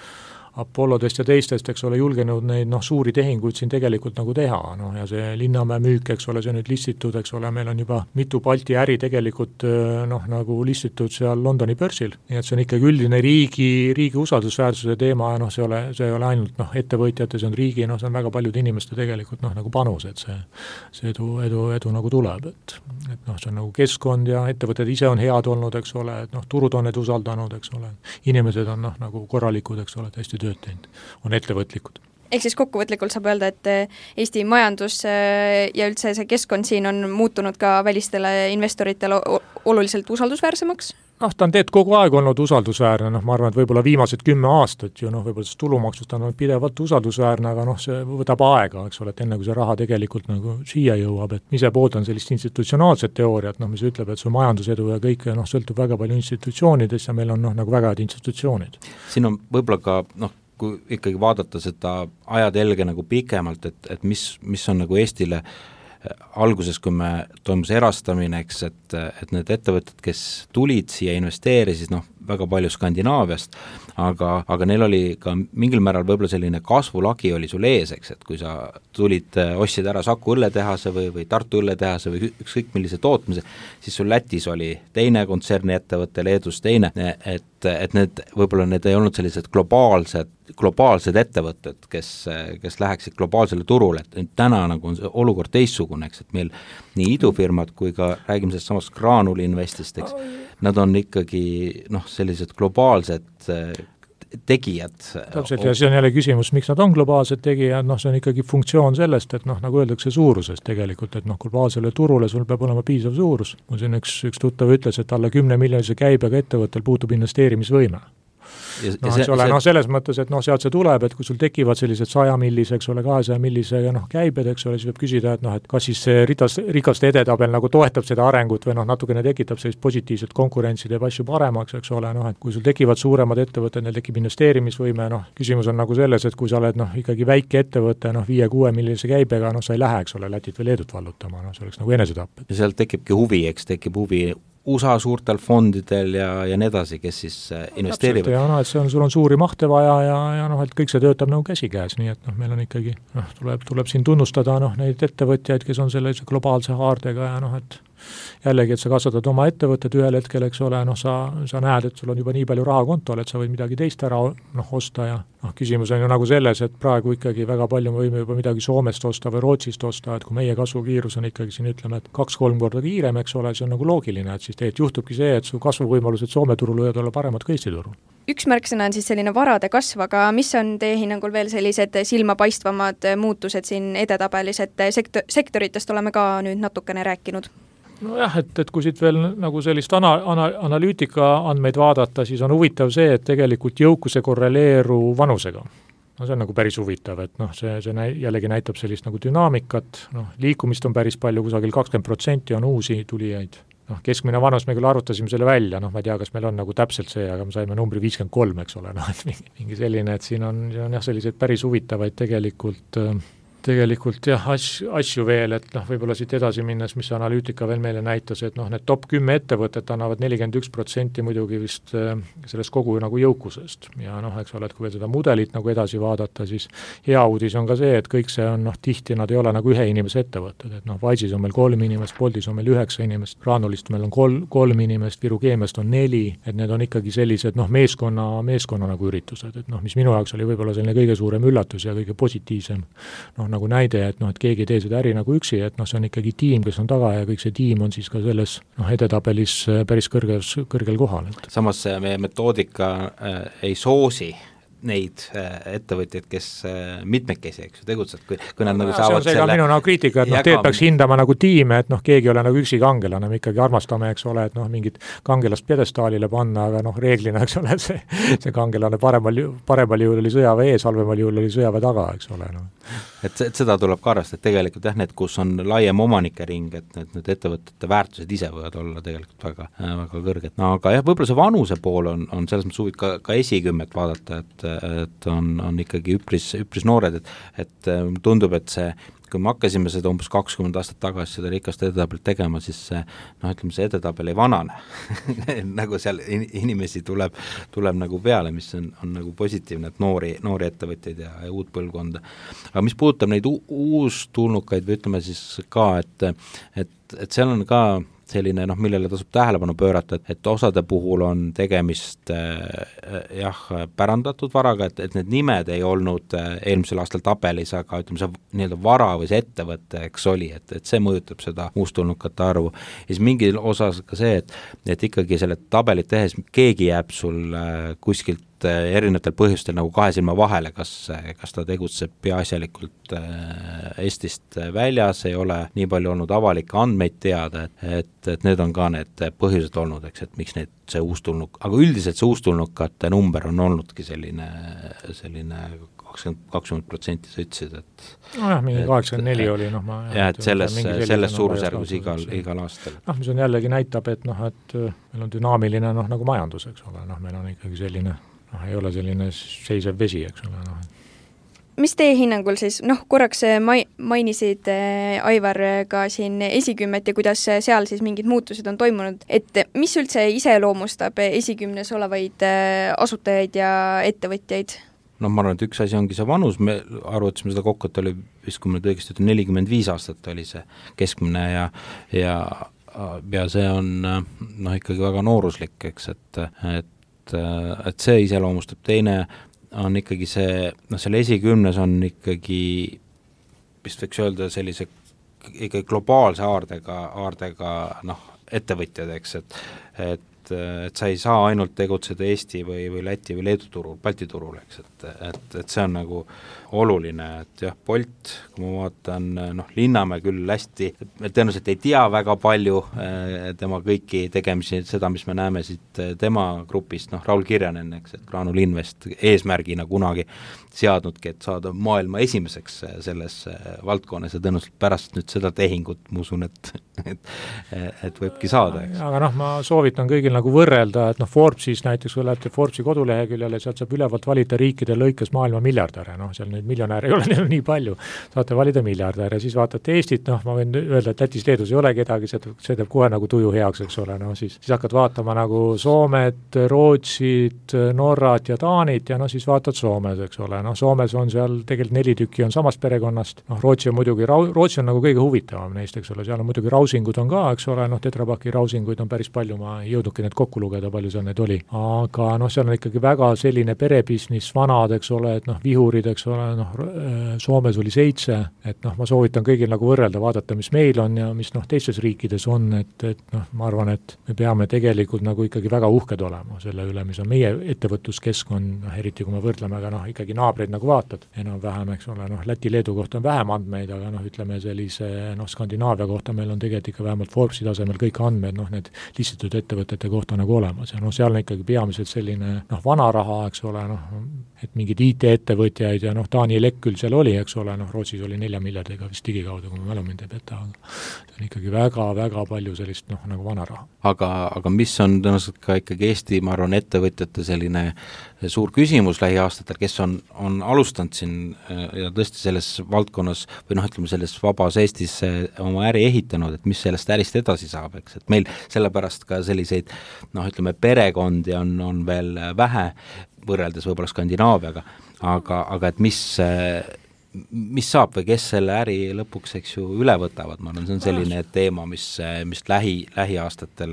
Apollodest ja teistest, eks ole, julgenud neid noh, suuri tehinguid siin tegelikult nagu teha, noh ja see Linnamäe müük, eks ole, see nüüd listitud, eks ole, meil on juba mitu Balti äri tegelikult noh, nagu listitud seal Londoni börsil, nii et see on ikkagi üldine riigi, riigi usaldusväärsuse teema ja noh, see ei ole, see ei ole ainult noh, ettevõtjate, see on riigi, noh, see on väga paljude inimeste tegelikult noh, nagu panus, et see, see edu, edu, edu nagu tuleb, et, et noh, see on nagu keskkond ja ettevõtted ise on head olnud, eks ole, et noh, turud on need usaldanud, eks ole, inimesed on noh, nagu korralikud, eks ole, hästi tööd teinud, on ettevõtlikud. Ehk siis kokkuvõtlikult saab öelda, et Eesti majandus ja üldse see keskkond siin on muutunud ka välistele investoritele oluliselt usaldusväärsemaks? noh, ta on teed kogu aeg olnud usaldusväärne, noh, ma arvan, et võib-olla viimased kümme aastat ju noh, võib-olla see tulumaksust on pidevalt usaldusväärne, aga noh, see võtab aega, eks ole, et enne kui see raha tegelikult nagu siia jõuab, et ise pooldan sellist institutsionaalset teooriat, noh, mis ütleb, et su majandusedu ja kõik noh, sõltub väga palju institutsioonidest ja meil on noh, nagu väga head institutsioonid. siin on võib-olla ka noh, kui ikkagi vaadata seda ajatelge nagu pikemalt, et, et mis, mis on nagu Eestile alguses, kui me toimus erastamine, eks, et, et need ettevõtted, kes tulid siia, investeerisid, noh, väga palju Skandinaaviast, aga, aga neil oli ka mingil määral võib-olla selline kasvulagi oli sul ees, eks, et kui sa tulid, ostsid ära Saku õlletehase või, või Tartu õlletehase või ükskõik millise tootmise, siis sul Lätis oli teine kontserni ettevõte, Leedus teine, et, et need, võib-olla need ei olnud sellised globaalsed, globaalsed ettevõtted, kes, kes läheksid globaalsele turule, et täna nagu on see olukord teistsugune, eks, et meil nii idufirmad kui ka räägime sellest samast Graanul Investist, eks, nad on ikkagi noh, sellised globaalsed tegijad. Täpselt, ja see on jälle küsimus, miks nad on globaalsed tegijad, noh, see on ikkagi funktsioon sellest, et noh, nagu öeldakse suurusest tegelikult, et noh, globaalsele turule sul peab olema piisav suurus. Mul siin üks, üks tuttav ütles, et alla kümne miljonise käibega ettevõttel puutub investeerimisvõime. No, see, ole, see... no selles mõttes, et noh, sealt see tuleb, et kui sul tekivad sellised saja millise, eks ole, kahesaja millise noh, käibed, eks ole, siis võib küsida, et noh, et kas siis see ritas, rikaste edetabel nagu toetab seda arengut või noh, natukene tekitab sellist positiivset konkurentsi, teeb asju paremaks, eks ole, noh, et kui sul tekivad suuremad ettevõtted, neil tekib investeerimisvõime, noh, küsimus on nagu selles, et kui sa oled noh, ikkagi väike ettevõte, noh, viie-kuue millise käibega, noh, sa ei lähe, eks ole, Lätit või Leedut vallutama, noh, see oleks nagu enesetapp. Ja sealt tekibki huvi, eks, tekib huvi U S A suurtel fondidel ja, ja nii edasi, kes siis investeerivad. Ja no, et see on, sul on suuri mahte vaja ja, ja noh, et kõik see töötab nagu käsikäes, nii et noh, meil on ikkagi, noh, tuleb, tuleb siin tunnustada noh, neid ettevõtjaid, kes on selle globaalse haardega ja noh, et jällegi, et sa kasvatad oma ettevõtted ühel hetkel, eks ole, noh, sa, sa näed, et sul on juba nii palju raha kontol, et sa võid midagi teist ära noh, osta ja noh, küsimus on ju nagu selles, et praegu ikkagi väga palju me võime juba midagi Soomest osta või Rootsist osta, et kui meie kasvukiirus on ikkagi siin ütleme, et kaks-kolm korda kiirem, eks ole, see on nagu loogiline, et siis tegelikult juhtubki see, et su kasvuvõimalused Soome turul võivad olla paremad kui Eesti turul. Üks märksõna on siis selline varade kasv, aga mis on teie hinnangul veel sellised silmapaistvamad muutused siin edetabelis, et sektor, sektoritest oleme ka nüüd natukene rääkinud? Nojah, et, et kui siit veel nagu sellist ana, ana, analüütika andmeid vaadata, siis on huvitav see, et tegelikult jõukuse korreleeru vanusega. No see on nagu päris huvitav, et noh, see, see näi, jällegi näitab sellist nagu dünaamikat, noh, liikumist on päris palju, kusagil kakskümmend protsenti on uusi tulijaid. Noh, keskmine vanus me küll arvutasime selle välja, noh, ma ei tea, kas meil on nagu täpselt see, aga me saime numbri viiskümmend kolm, eks ole, noh, et mingi, mingi selline, et siin on, siin on jah, selliseid päris huvitavaid tegelikult äh, tegelikult jah, asju, asju veel, et noh, võib-olla siit edasi minnes, mis analüütika veel meile näitas, et noh, need top kümme ettevõtet annavad nelikümmend üks protsenti muidugi vist äh, sellest kogu nagu jõukusest. Ja noh, eks ole, et kui veel seda mudelit nagu edasi vaadata, siis hea uudis on ka see, et kõik see on noh, tihti nad ei ole nagu ühe inimese ettevõtted, et noh, Wise'is on meil kolm inimest, Boltis on meil üheksa inimest, Granulist meil on kolm, kolm inimest, Viru Keemiast on neli, et need on ikkagi sellised noh, meeskonna, meeskonna nagu üritused, et noh, mis minu jaoks oli võib-olla selline kõige suurem üllatus ja kõige positiivsem noh, nagu näide, et noh, et keegi ei tee seda äri nagu üksi, et noh, see on ikkagi tiim, kes on taga ja kõik see tiim on siis ka selles noh, edetabelis päris kõrges, kõrgel kohal. Samas see meie metoodika äh, ei soosi neid ettevõtjaid, kes mitmekesi, eks ju, tegutsed, kui, kui nad no, nagu no, saavad see on selle... minu nagu kriitika, et noh, teed peaks hindama nagu tiime, et noh, keegi ei ole nagu üksi kangelane, me ikkagi armastame, eks ole, et noh, mingit kangelast pjedestaalile panna, aga noh, reeglina, eks ole, see, see kangelane paremal, paremal juhul oli sõjaväe ees, halvemal juhul oli sõjaväe taga, eks ole. No. Et, et seda tuleb ka arvestada, et tegelikult jah, need, kus on laiem omanike ring, et need, need ettevõtete väärtused ise võivad olla tegelikult väga, väga kõrged. No aga jah, võib-olla see vanuse pool on, on selles mõttes huvit ka, ka esikümmet vaadata, et, et on, on ikkagi üpris, üpris noored, et, et tundub, et see, kui me hakkasime seda umbes kakskümmend aastat tagasi seda rikast edetabelit tegema, siis see, noh, ütleme, see edetabel ei vanane nagu seal inimesi tuleb, tuleb nagu peale, mis on, on nagu positiivne, et noori, noori ettevõtjaid ja, ja uut põlvkonda. Aga mis puudutab neid u- uustulnukaid või ütleme siis ka, et, et, et seal on ka selline, noh, millele tasub tähelepanu pöörata, et, et osade puhul on tegemist äh, jah, pärandatud varaga, et, et need nimed ei olnud äh, eelmisel aastal tabelis, aga ütleme, see nii-öelda vara või see ettevõte, eks oli, et, et see mõjutab seda uustulnukate arvu. Ja siis mingil osas ka see, et, et ikkagi selle tabelit tehes keegi jääb sul äh, kuskilt erinevatel põhjustel nagu kahe silma vahele, kas, kas ta tegutseb peaasjalikult Eestist väljas, ei ole nii palju olnud avalikke andmeid teada, et, et need on ka need põhjused olnud, eks, et miks need, see uustulnuk, aga üldiselt see uustulnukate number on olnudki selline, selline kakskümmend protsenti sa ütlesid, et nojah, mingi kaheksakümmend neli oli, noh ma jah, et selles, selles suurusjärgus igal, igal aastal. noh, mis on jällegi näitab, et noh, et meil on dünaamiline, noh, nagu majandus, eks ole, noh, meil on ikkagi selline noh, ei ole selline seisev vesi, eks ole, noh. Mis teie hinnangul siis, noh, korraks mai-, mainisid äh, Aivar ka siin esikümmet ja kuidas seal siis mingid muutused on toimunud, et mis üldse iseloomustab esikümnes olevaid äh, asutajaid ja ettevõtjaid? noh, ma arvan, et üks asi ongi see vanus, me arvutasime seda kokku, et oli vist, kui me õigesti ütlen, nelikümmend viis aastat oli see keskmine ja, ja, ja see on noh, ikkagi väga nooruslik, eks, et, et et see iseloomustab, teine on ikkagi see, noh, selle esikümnes on ikkagi, vist võiks öelda sellise ikkagi globaalse aardega, aardega noh, ettevõtjad, eks, et, et et sa ei saa ainult tegutseda Eesti või, või Läti või Leedu turul, Balti turul, eks, et, et, et see on nagu oluline, et jah, Bolt, kui ma vaatan, noh, Linnamäe küll hästi, tõenäoliselt ei tea väga palju eh, tema kõiki tegemisi, seda, mis me näeme siit tema grupist, noh, Raul Kirjanen, eks, et Graanul Invest eesmärgina kunagi seadnudki, et saada maailma esimeseks selles valdkonnas ja tõenäoliselt pärast nüüd seda tehingut, ma usun, et, et, et võibki saada, eks. aga noh, ma soovitan kõigil nagu võrrelda, et noh, Forbesis näiteks, kui lähete Forbesi koduleheküljele, sealt saab ülevalt valida riikide lõikes maailma miljardäre, noh, seal neid miljonäre ei ole neil nii palju, saate valida miljardäre, siis vaatate Eestit, noh, ma võin öelda, et Lätis, Leedus ei ole kedagi, see, see teeb kohe nagu tuju heaks, eks ole, noh, siis, siis hakkad vaatama nagu Soomet, Rootsit, Norrat ja Taanit ja noh, siis vaatad Soomes, eks ole, noh, Soomes on seal tegelikult neli tükki on samast perekonnast, noh, Rootsi on muidugi, Rootsi on nagu kõige huvitavam neist, eks ole, seal on muidugi rausingud on ka, eks ole, noh, Tetra Paki rausinguid on päris palju, ma ei jõudnudki need kokku lugeda, palju seal neid oli, aga noh, seal on ikkagi väga selline perebisnis, vanad, eks ole, et noh, vihurid, eks ole, noh, Soomes oli seitse, et noh, ma soovitan kõigil nagu võrrelda, vaadata, mis meil on ja mis noh, teistes riikides on, et, et noh, ma arvan, et me peame tegelikult nagu ikkagi väga uhked olema selle üle, mis on meie ettevõtluskeskkond, noh, eriti kui me võrdleme, aga noh, ikkagi naabreid nagu vaatad, enam-vähem, eks ole, noh, Läti-Leedu kohta on vähem andmeid, aga noh, ütleme sellise, noh, Skandinaavia kohta meil on tegelikult ikka vähemalt Forbesi tasemel kõik andmed, noh, need listitud ettevõtete kohta nagu olemas ja noh, seal on ikkagi peamiselt selline, noh, vana raha, eks ole, noh, et mingid I T-ettevõtjaid ja noh, Taani Elek küll seal oli, eks ole, noh, Rootsis oli nelja miljardiga vist digikaudu, kui ma mälu mind ei peta, aga see on ikkagi väga-väga palju sellist, noh, nagu vana raha. Aga, aga mis on tõenäoliselt ka ikkagi Eesti, ma arvan, ettevõtjate selline suur küsimus lähiaastatel, kes on, on alustanud siin ja tõesti selles valdkonnas või noh, ütleme selles vabas Eestis oma äri ehitanud, et mis sellest ärist edasi saab, eks, et meil sellepärast ka selliseid noh, ütleme perekondi on, on veel vähe võrreldes võib-olla Skandinaaviaga, aga, aga et mis mis saab või kes selle äri lõpuks, eks ju, üle võtavad, ma arvan, see on selline teema, mis, mis lähi, lähiaastatel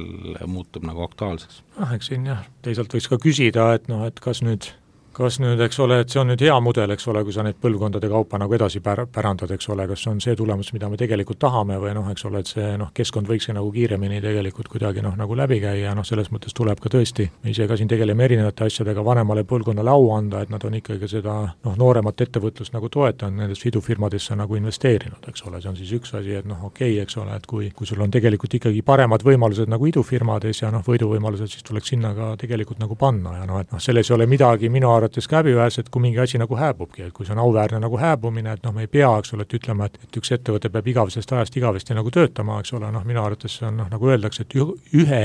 muutub nagu aktuaalseks. Ah, eks siin jah, teisalt võiks ka küsida, et noh, et kas nüüd kas nüüd, eks ole, et see on nüüd hea mudel, eks ole, kui sa neid põlvkondade kaupa nagu edasi pär, pärandad, eks ole, kas on see tulemus, mida me tegelikult tahame või noh, eks ole, et see noh, keskkond võiks nagu kiiremini tegelikult kuidagi noh, nagu läbi käia ja noh, selles mõttes tuleb ka tõesti, me ise ka siin tegeleme erinevate asjadega vanemale põlvkonnale au anda, et nad on ikkagi seda noh, nooremat ettevõtlust nagu toetanud, nendest idufirmadesse nagu investeerinud, eks ole, see on siis üks asi, et noh, okei okay,, eks ole, et kui, kui sul on tegelikult ikkagi paremad võimalused nagu idufirmades ja noh, võiduvõimalused, siis tuleks sinna ka tegelikult nagu panna ja noh, et noh, selles ei ole midagi minu arvates ka häbiväärset, kui mingi asi nagu hääbubki, et kui see on auväärne nagu hääbumine, et noh, me ei pea, eks ole, et ütlema, et, et üks ettevõte peab igavesest ajast igavesti nagu töötama, eks ole, noh, minu arvates see on noh, nagu öeldakse, et ühe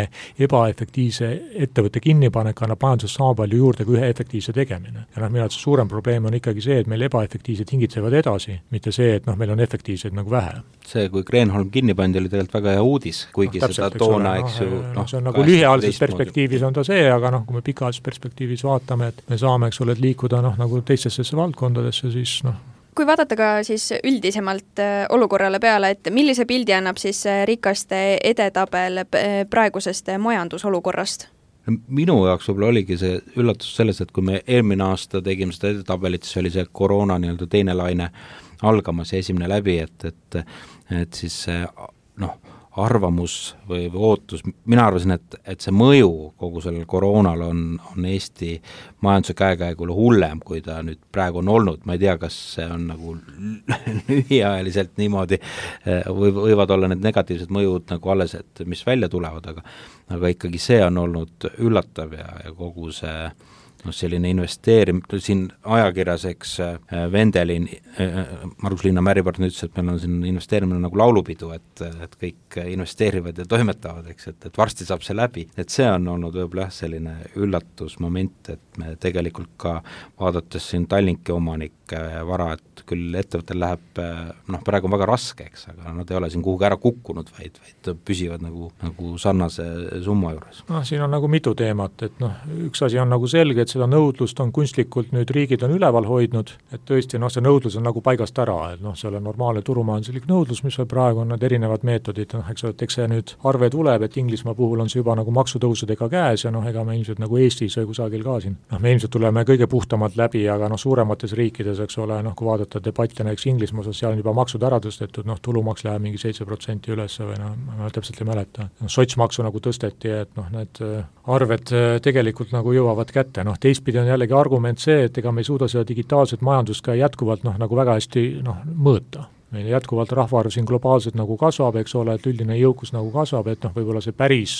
ebaefektiivse ettevõtte kinnipanek annab majanduses sama palju juurde kui ühe efektiivse tegemine. Ja noh, minu arvates suurem probleem on ikkagi see, et meil ebaefektiivsed hingitsevad edasi, mitte see, et noh, meil on efektiivsed nagu vähe. See, kui Kreenholm kinni pandi, oli tegelikult väga hea uudis, kuigi no, täpselt, seda toona, eks ju no, no, see on nagu lühiajalises perspektiivis on ta see, aga noh, kui me pikaajalises perspektiivis vaatame, et me saame, eks ole, et liikuda noh, nagu teistesse valdkondadesse, siis noh. Kui vaadata ka siis üldisemalt olukorrale peale, et millise pildi annab siis rikaste edetabel praegusest majandusolukorrast? Minu jaoks võib-olla oligi see üllatus selles, et kui me eelmine aasta tegime seda edetabelit, siis oli see koroona nii-öelda teine laine algamas ja esimene läbi, et, et, et siis noh, arvamus või, või ootus, mina arvasin, et, et see mõju kogu sellel koroonal on, on Eesti majanduse käekäigule hullem, kui ta nüüd praegu on olnud, ma ei tea, kas see on nagu lühiajaliselt niimoodi, või võivad olla need negatiivsed mõjud nagu alles, et mis välja tulevad, aga, aga ikkagi see on olnud üllatav ja, ja kogu see no selline investeerim-, siin ajakirjas, eks Vendelin, Margus Liina Märipartner ütles, et meil on siin investeerimine nagu laulupidu, et, et kõik investeerivad ja toimetavad, eks, et, et varsti saab see läbi, et see on olnud võib-olla selline üllatusmoment, et me tegelikult ka vaadates siin Tallinki omanik vara, et küll ettevõttel läheb, noh praegu on väga raske, eks, aga nad ei ole siin kuhugi ära kukkunud, vaid, vaid püsivad nagu, nagu sarnase summa juures. noh, siin on nagu mitu teemat, et noh, üks asi on nagu selge, et seda nõudlust on kunstlikult nüüd riigid on üleval hoidnud, et tõesti noh, see nõudlus on nagu paigast ära, et noh, see on normaalne turumajanduslik nõudlus, mis praegu on need erinevad meetodid, noh, eks, et eks see nüüd arve tuleb, et Inglismaa puhul on see juba nagu maksutõusudega käes ja noh, ega me ilmselt nagu Eestis või kusagil ka siin, noh, me ilmselt tuleme kõige puhtamalt läbi, aga noh, suuremates riikides, eks ole, noh, kui vaadata debatte näiteks Inglismaa osas, seal on juba maksud ära tõstetud, noh, tulumaks läheb mingi seitse protsenti üles või noh, ma täpselt ei mäleta. No, sotsmaksu nagu tõsteti, et noh, need arved tegelikult nagu jõuavad kätte, noh, teistpidi on jällegi argument see, et ega me ei suuda seda digitaalset majandust ka jätkuvalt noh, nagu väga hästi noh, mõõta. Meil jätkuvalt rahvaarv siin globaalselt nagu kasvab, eks ole, et üldine jõukus nagu kasvab, et noh, võib-olla see päris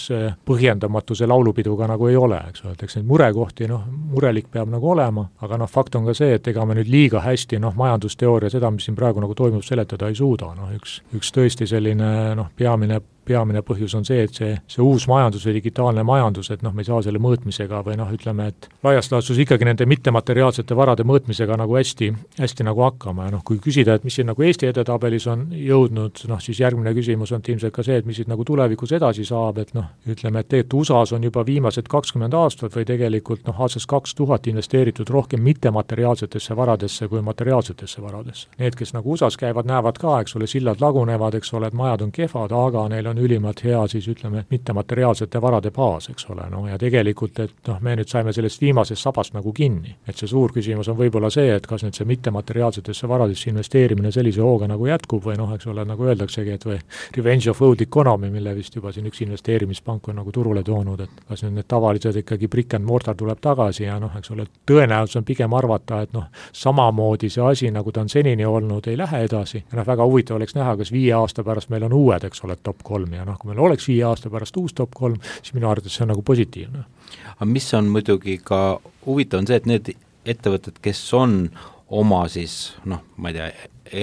põhjendamatu see laulupiduga nagu ei ole, eks ole, et eks neid murekohti, noh, murelik peab nagu olema, aga noh, fakt on ka see, et ega me nüüd liiga hästi noh, majandusteooria seda, mis siin praegu nagu toimub, seletada ei suuda, noh, üks, üks tõesti selline noh, peamine peamine põhjus on see, et see, see uus majandus või digitaalne majandus, et noh, me ei saa selle mõõtmisega või noh, ütleme, et laias laastus ikkagi nende mittemateriaalsete varade mõõtmisega nagu hästi, hästi nagu hakkama ja noh, kui küsida, et mis siin nagu Eesti edetabelis on jõudnud, noh, siis järgmine küsimus on ilmselt ka see, et mis siit nagu tulevikus edasi saab, et noh, ütleme, et tegelikult U S A-s on juba viimased kakskümmend aastat või tegelikult noh, aastast kaks tuhat investeeritud rohkem mittemateriaalsetesse varadesse kui materiaalsetesse varadesse. Need, kes nagu U S A-s käivad, näevad ka, eks ole, sillad lagunevad, eks ole, et majad on kehvad, aga neil on ülimalt hea siis ütleme mittemateriaalsete varade baas, eks ole, no ja tegelikult, et noh, me nüüd saime sellest viimasest sabast nagu kinni, et see suur küsimus on võib-olla see, et kas nüüd see mittemateriaalsetesse varadesse investeerimine sellise hooga nagu jätkub või noh, eks ole, nagu öeldaksegi, et või revenge of old economy, mille vist juba siin üks investeerimispank on nagu turule toonud, et kas nüüd need tavalised ikkagi brick and mortar tuleb tagasi ja noh, eks ole, tõenäoliselt on pigem arvata, et noh, samamoodi see asi, nagu ta on senini olnud, ei lähe edasi ja noh, väga huvitav oleks näha, kas viie aasta pärast meil on uued, eks ole, top kolm ja noh, kui meil oleks viie aasta pärast uus top kolm, siis minu arvates see on nagu positiivne. Aga mis on muidugi ka huvitav on see, et need ettevõtted, kes on oma siis, noh, ma ei tea,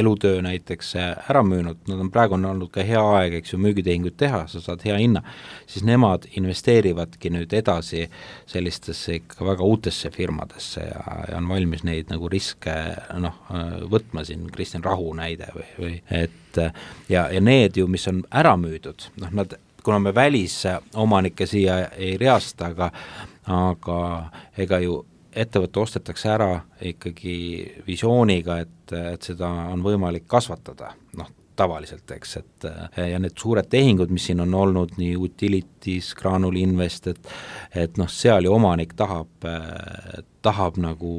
elutöö näiteks ära müünud, nad on praegu on olnud ka hea aeg, eks ju, müügitehingut teha, sa saad hea hinna, siis nemad investeerivadki nüüd edasi sellistesse ikka väga uutesse firmadesse ja, ja on valmis neid nagu riske noh, võtma siin, Kristjan Rahu näide või, või et ja, ja need ju, mis on ära müüdud, noh, nad, kuna me välisomanikke siia ei reasta, aga, aga ega ju ettevõtte ostetakse ära ikkagi visiooniga, et, et seda on võimalik kasvatada, noh, tavaliselt, eks, et ja need suured tehingud, mis siin on olnud, nii Utilities, Granul Invest, et, et noh, seal ju omanik tahab, tahab nagu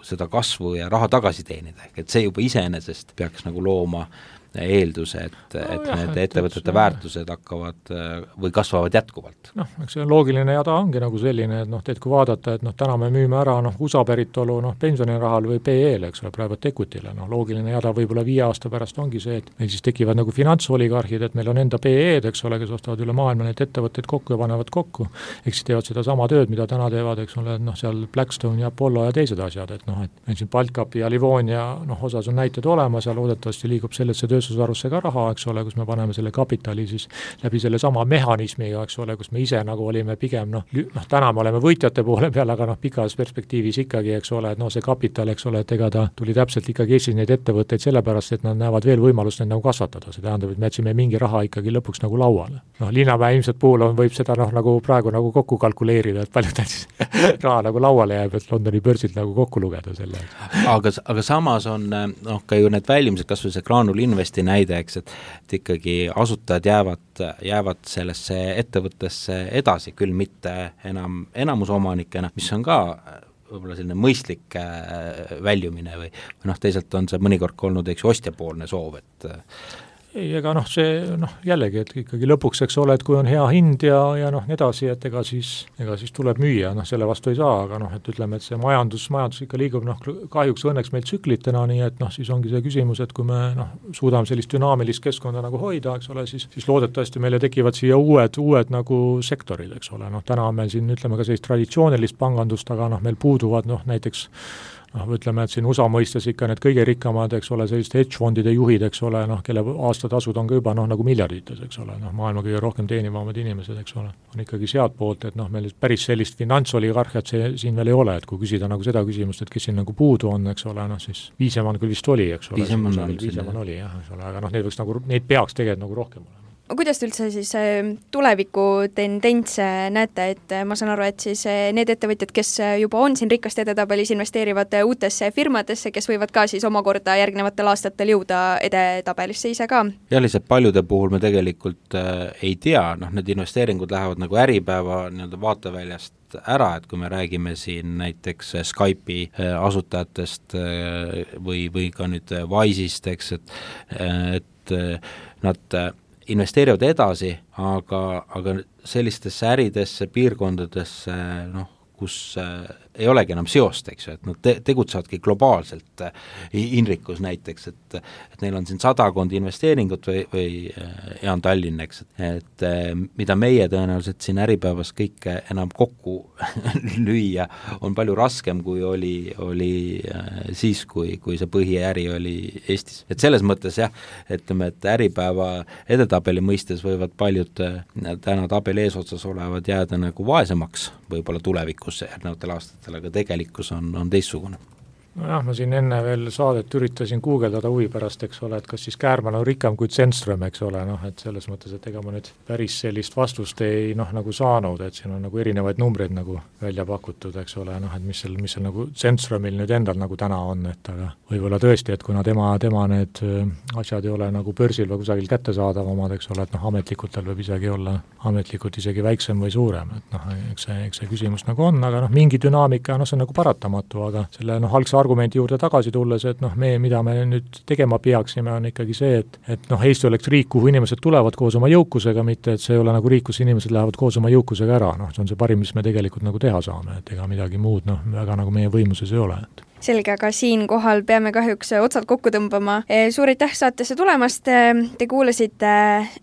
seda kasvu ja raha tagasi teenida, ehk et see juba iseenesest peaks nagu looma eelduse, et, no, et jah, need ettevõtete et, väärtused hakkavad või kasvavad jätkuvalt. Noh, eks see loogiline jada ongi nagu selline, et noh, teed kui vaadata, et noh, täna me müüme ära noh, U S A päritolu noh, pensionirahal või P E-le, eks ole, praegu equityle, noh, loogiline jada võib-olla viie aasta pärast ongi see, et meil siis tekivad nagu finantsoligarhid, et meil on enda P E-d, eks ole, kes ostavad üle maailma neid ettevõtteid kokku ja panevad kokku, eks siis teevad seda sama tööd, mida täna teevad, eks ole, noh, seal Blackstone ja Apollo ja teised asjad, et noh, et meil siin Baltcapi ja Livonia, noh, osas on näited olemas ja loodetavasti liigub sellesse tööstusharusse ka raha, eks ole, kus me paneme selle kapitali siis läbi selle sama mehhanismiga, eks ole, kus me ise nagu olime pigem noh, noh täna me oleme võitjate poole peal, aga noh, pikas perspektiivis ikkagi, eks ole, et noh, see kapital, eks ole, et ega ta tuli täpselt ikkagi Eestis neid ettevõtteid sellepärast, et nad näevad veel võimalust neid nagu kasvatada, see tähendab, et me jätsime mingi raha ikkagi lõpuks nagu lauale. Noh, Linnamäe ilmselt puhul on, võib seda noh, nagu praegu nagu kokku kalkuleerida, et palju ta siis raha nagu lauale jääb, et Londoni börsilt nagu kokku lugeda selle. Aga, aga samas on noh, ka ju need väljumised, kas või see Graanul Investi näide, eks, et, et ikkagi asutajad jäävad, jäävad sellesse ettevõttesse edasi, küll mitte enam enamusomanikena, mis on ka võib-olla selline mõistlik väljumine või, või noh, teisalt on see mõnikord olnud eks ostjapoolne soov, et ei, ega noh, see noh, jällegi, et ikkagi lõpuks, eks ole, et kui on hea hind ja, ja noh, nii edasi, et ega siis, ega siis tuleb müüa, noh, selle vastu ei saa, aga noh, et ütleme, et see majandus, majandus ikka liigub noh, kahjuks õnneks meil tsüklitena, nii et noh, siis ongi see küsimus, et kui me noh, suudame sellist dünaamilist keskkonda nagu hoida, eks ole, siis, siis loodetavasti meile tekivad siia uued, uued nagu sektorid, eks ole, noh, täna on meil siin, ütleme ka sellist traditsioonilist pangandust, aga noh, meil puuduvad noh, näiteks noh, ütleme, et siin U S A mõistes ikka need kõige rikkamad, eks ole, selliste hedge-fondide juhid, eks ole, noh, kelle aastatasud on ka juba noh, nagu miljardites, eks ole, noh, maailma kõige rohkem teenivamad inimesed, eks ole, on ikkagi sealt poolt, et noh, meil päris sellist finantsoligarhiat see siin veel ei ole, et kui küsida nagu seda küsimust, et kes siin nagu puudu on, eks ole, noh, siis Viisemann küll vist oli, eks ole, Viisemann oli, jah, eks ole, aga noh, neid võiks nagu, neid peaks tegelikult nagu rohkem olema. Kuidas te üldse siis tuleviku tendentse näete, et ma saan aru, et siis need ettevõtjad, kes juba on siin rikast edetabelis, investeerivad uutesse firmadesse, kes võivad ka siis omakorda järgnevatel aastatel jõuda edetabelisse ise ka? Ja lihtsalt paljude puhul me tegelikult äh, ei tea, noh, need investeeringud lähevad nagu Äripäeva nii-öelda vaateväljast ära, et kui me räägime siin näiteks Skype'i asutajatest või, või ka nüüd Wise'ist, eks, et, et nad investeerivad edasi, aga, aga sellistesse äridesse, piirkondadesse, noh, kus äh, ei olegi enam seost, eks ju, et nad te- tegutsevadki globaalselt äh, Inrikus näiteks, et, et neil on siin sadakond investeeringut või, või äh, Jaan Tallinn, eks, et äh, mida meie tõenäoliselt siin Äripäevas kõike enam kokku lüüa, on palju raskem, kui oli, oli äh, siis, kui, kui see põhiäri oli Eestis. Et selles mõttes jah, ütleme, et Äripäeva edetabeli mõistes võivad paljud äh, täna tabeli eesotsas olevad jääda nagu vaesemaks võib-olla tulevikus järgnevatel aastatel, aga tegelikkus on, on teistsugune. Nojah, ma siin enne veel saadet üritasin guugeldada huvi pärast, eks ole, et kas siis Käärmann on rikkam kui Zenström, eks ole, noh, et selles mõttes, et ega ma nüüd päris sellist vastust ei noh, nagu saanud, et siin on nagu erinevaid numbreid nagu välja pakutud, eks ole, noh, et mis seal, mis seal nagu Zenströmil nüüd endal nagu täna on, et aga võib-olla tõesti, et kuna tema, tema need asjad ei ole nagu börsil või kusagil kättesaadav omad, eks ole, et noh, ametlikult tal võib isegi olla ametlikult isegi väiksem või suurem, et noh, eks see, eks see küsimus nagu on, aga noh, mingi dünaamika, noh, see on nagu paratamatu, aga selle noh, algse argumendi juurde tagasi tulles, et noh, me, mida me nüüd tegema peaksime, on ikkagi see, et, et noh, Eesti oleks riik, kuhu inimesed tulevad koos oma jõukusega, mitte et see ei ole nagu riik, kus inimesed lähevad koos oma jõukusega ära, noh, see on see parim, mis me tegelikult nagu teha saame, et ega midagi muud, noh, väga nagu meie võimuses ei ole, et selge, aga siinkohal peame kahjuks otsad kokku tõmbama. Suur aitäh saatesse tulemast, te kuulasite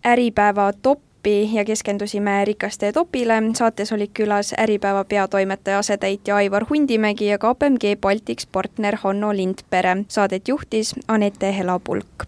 Äripäeva top ja keskendusime rikaste topile. Saates olid külas Äripäeva peatoimetaja asetäitja Aivar Hundimägi ja K P M G Baltics partner Hanno Lindpere. Saadet juhtis Anette Helapulk.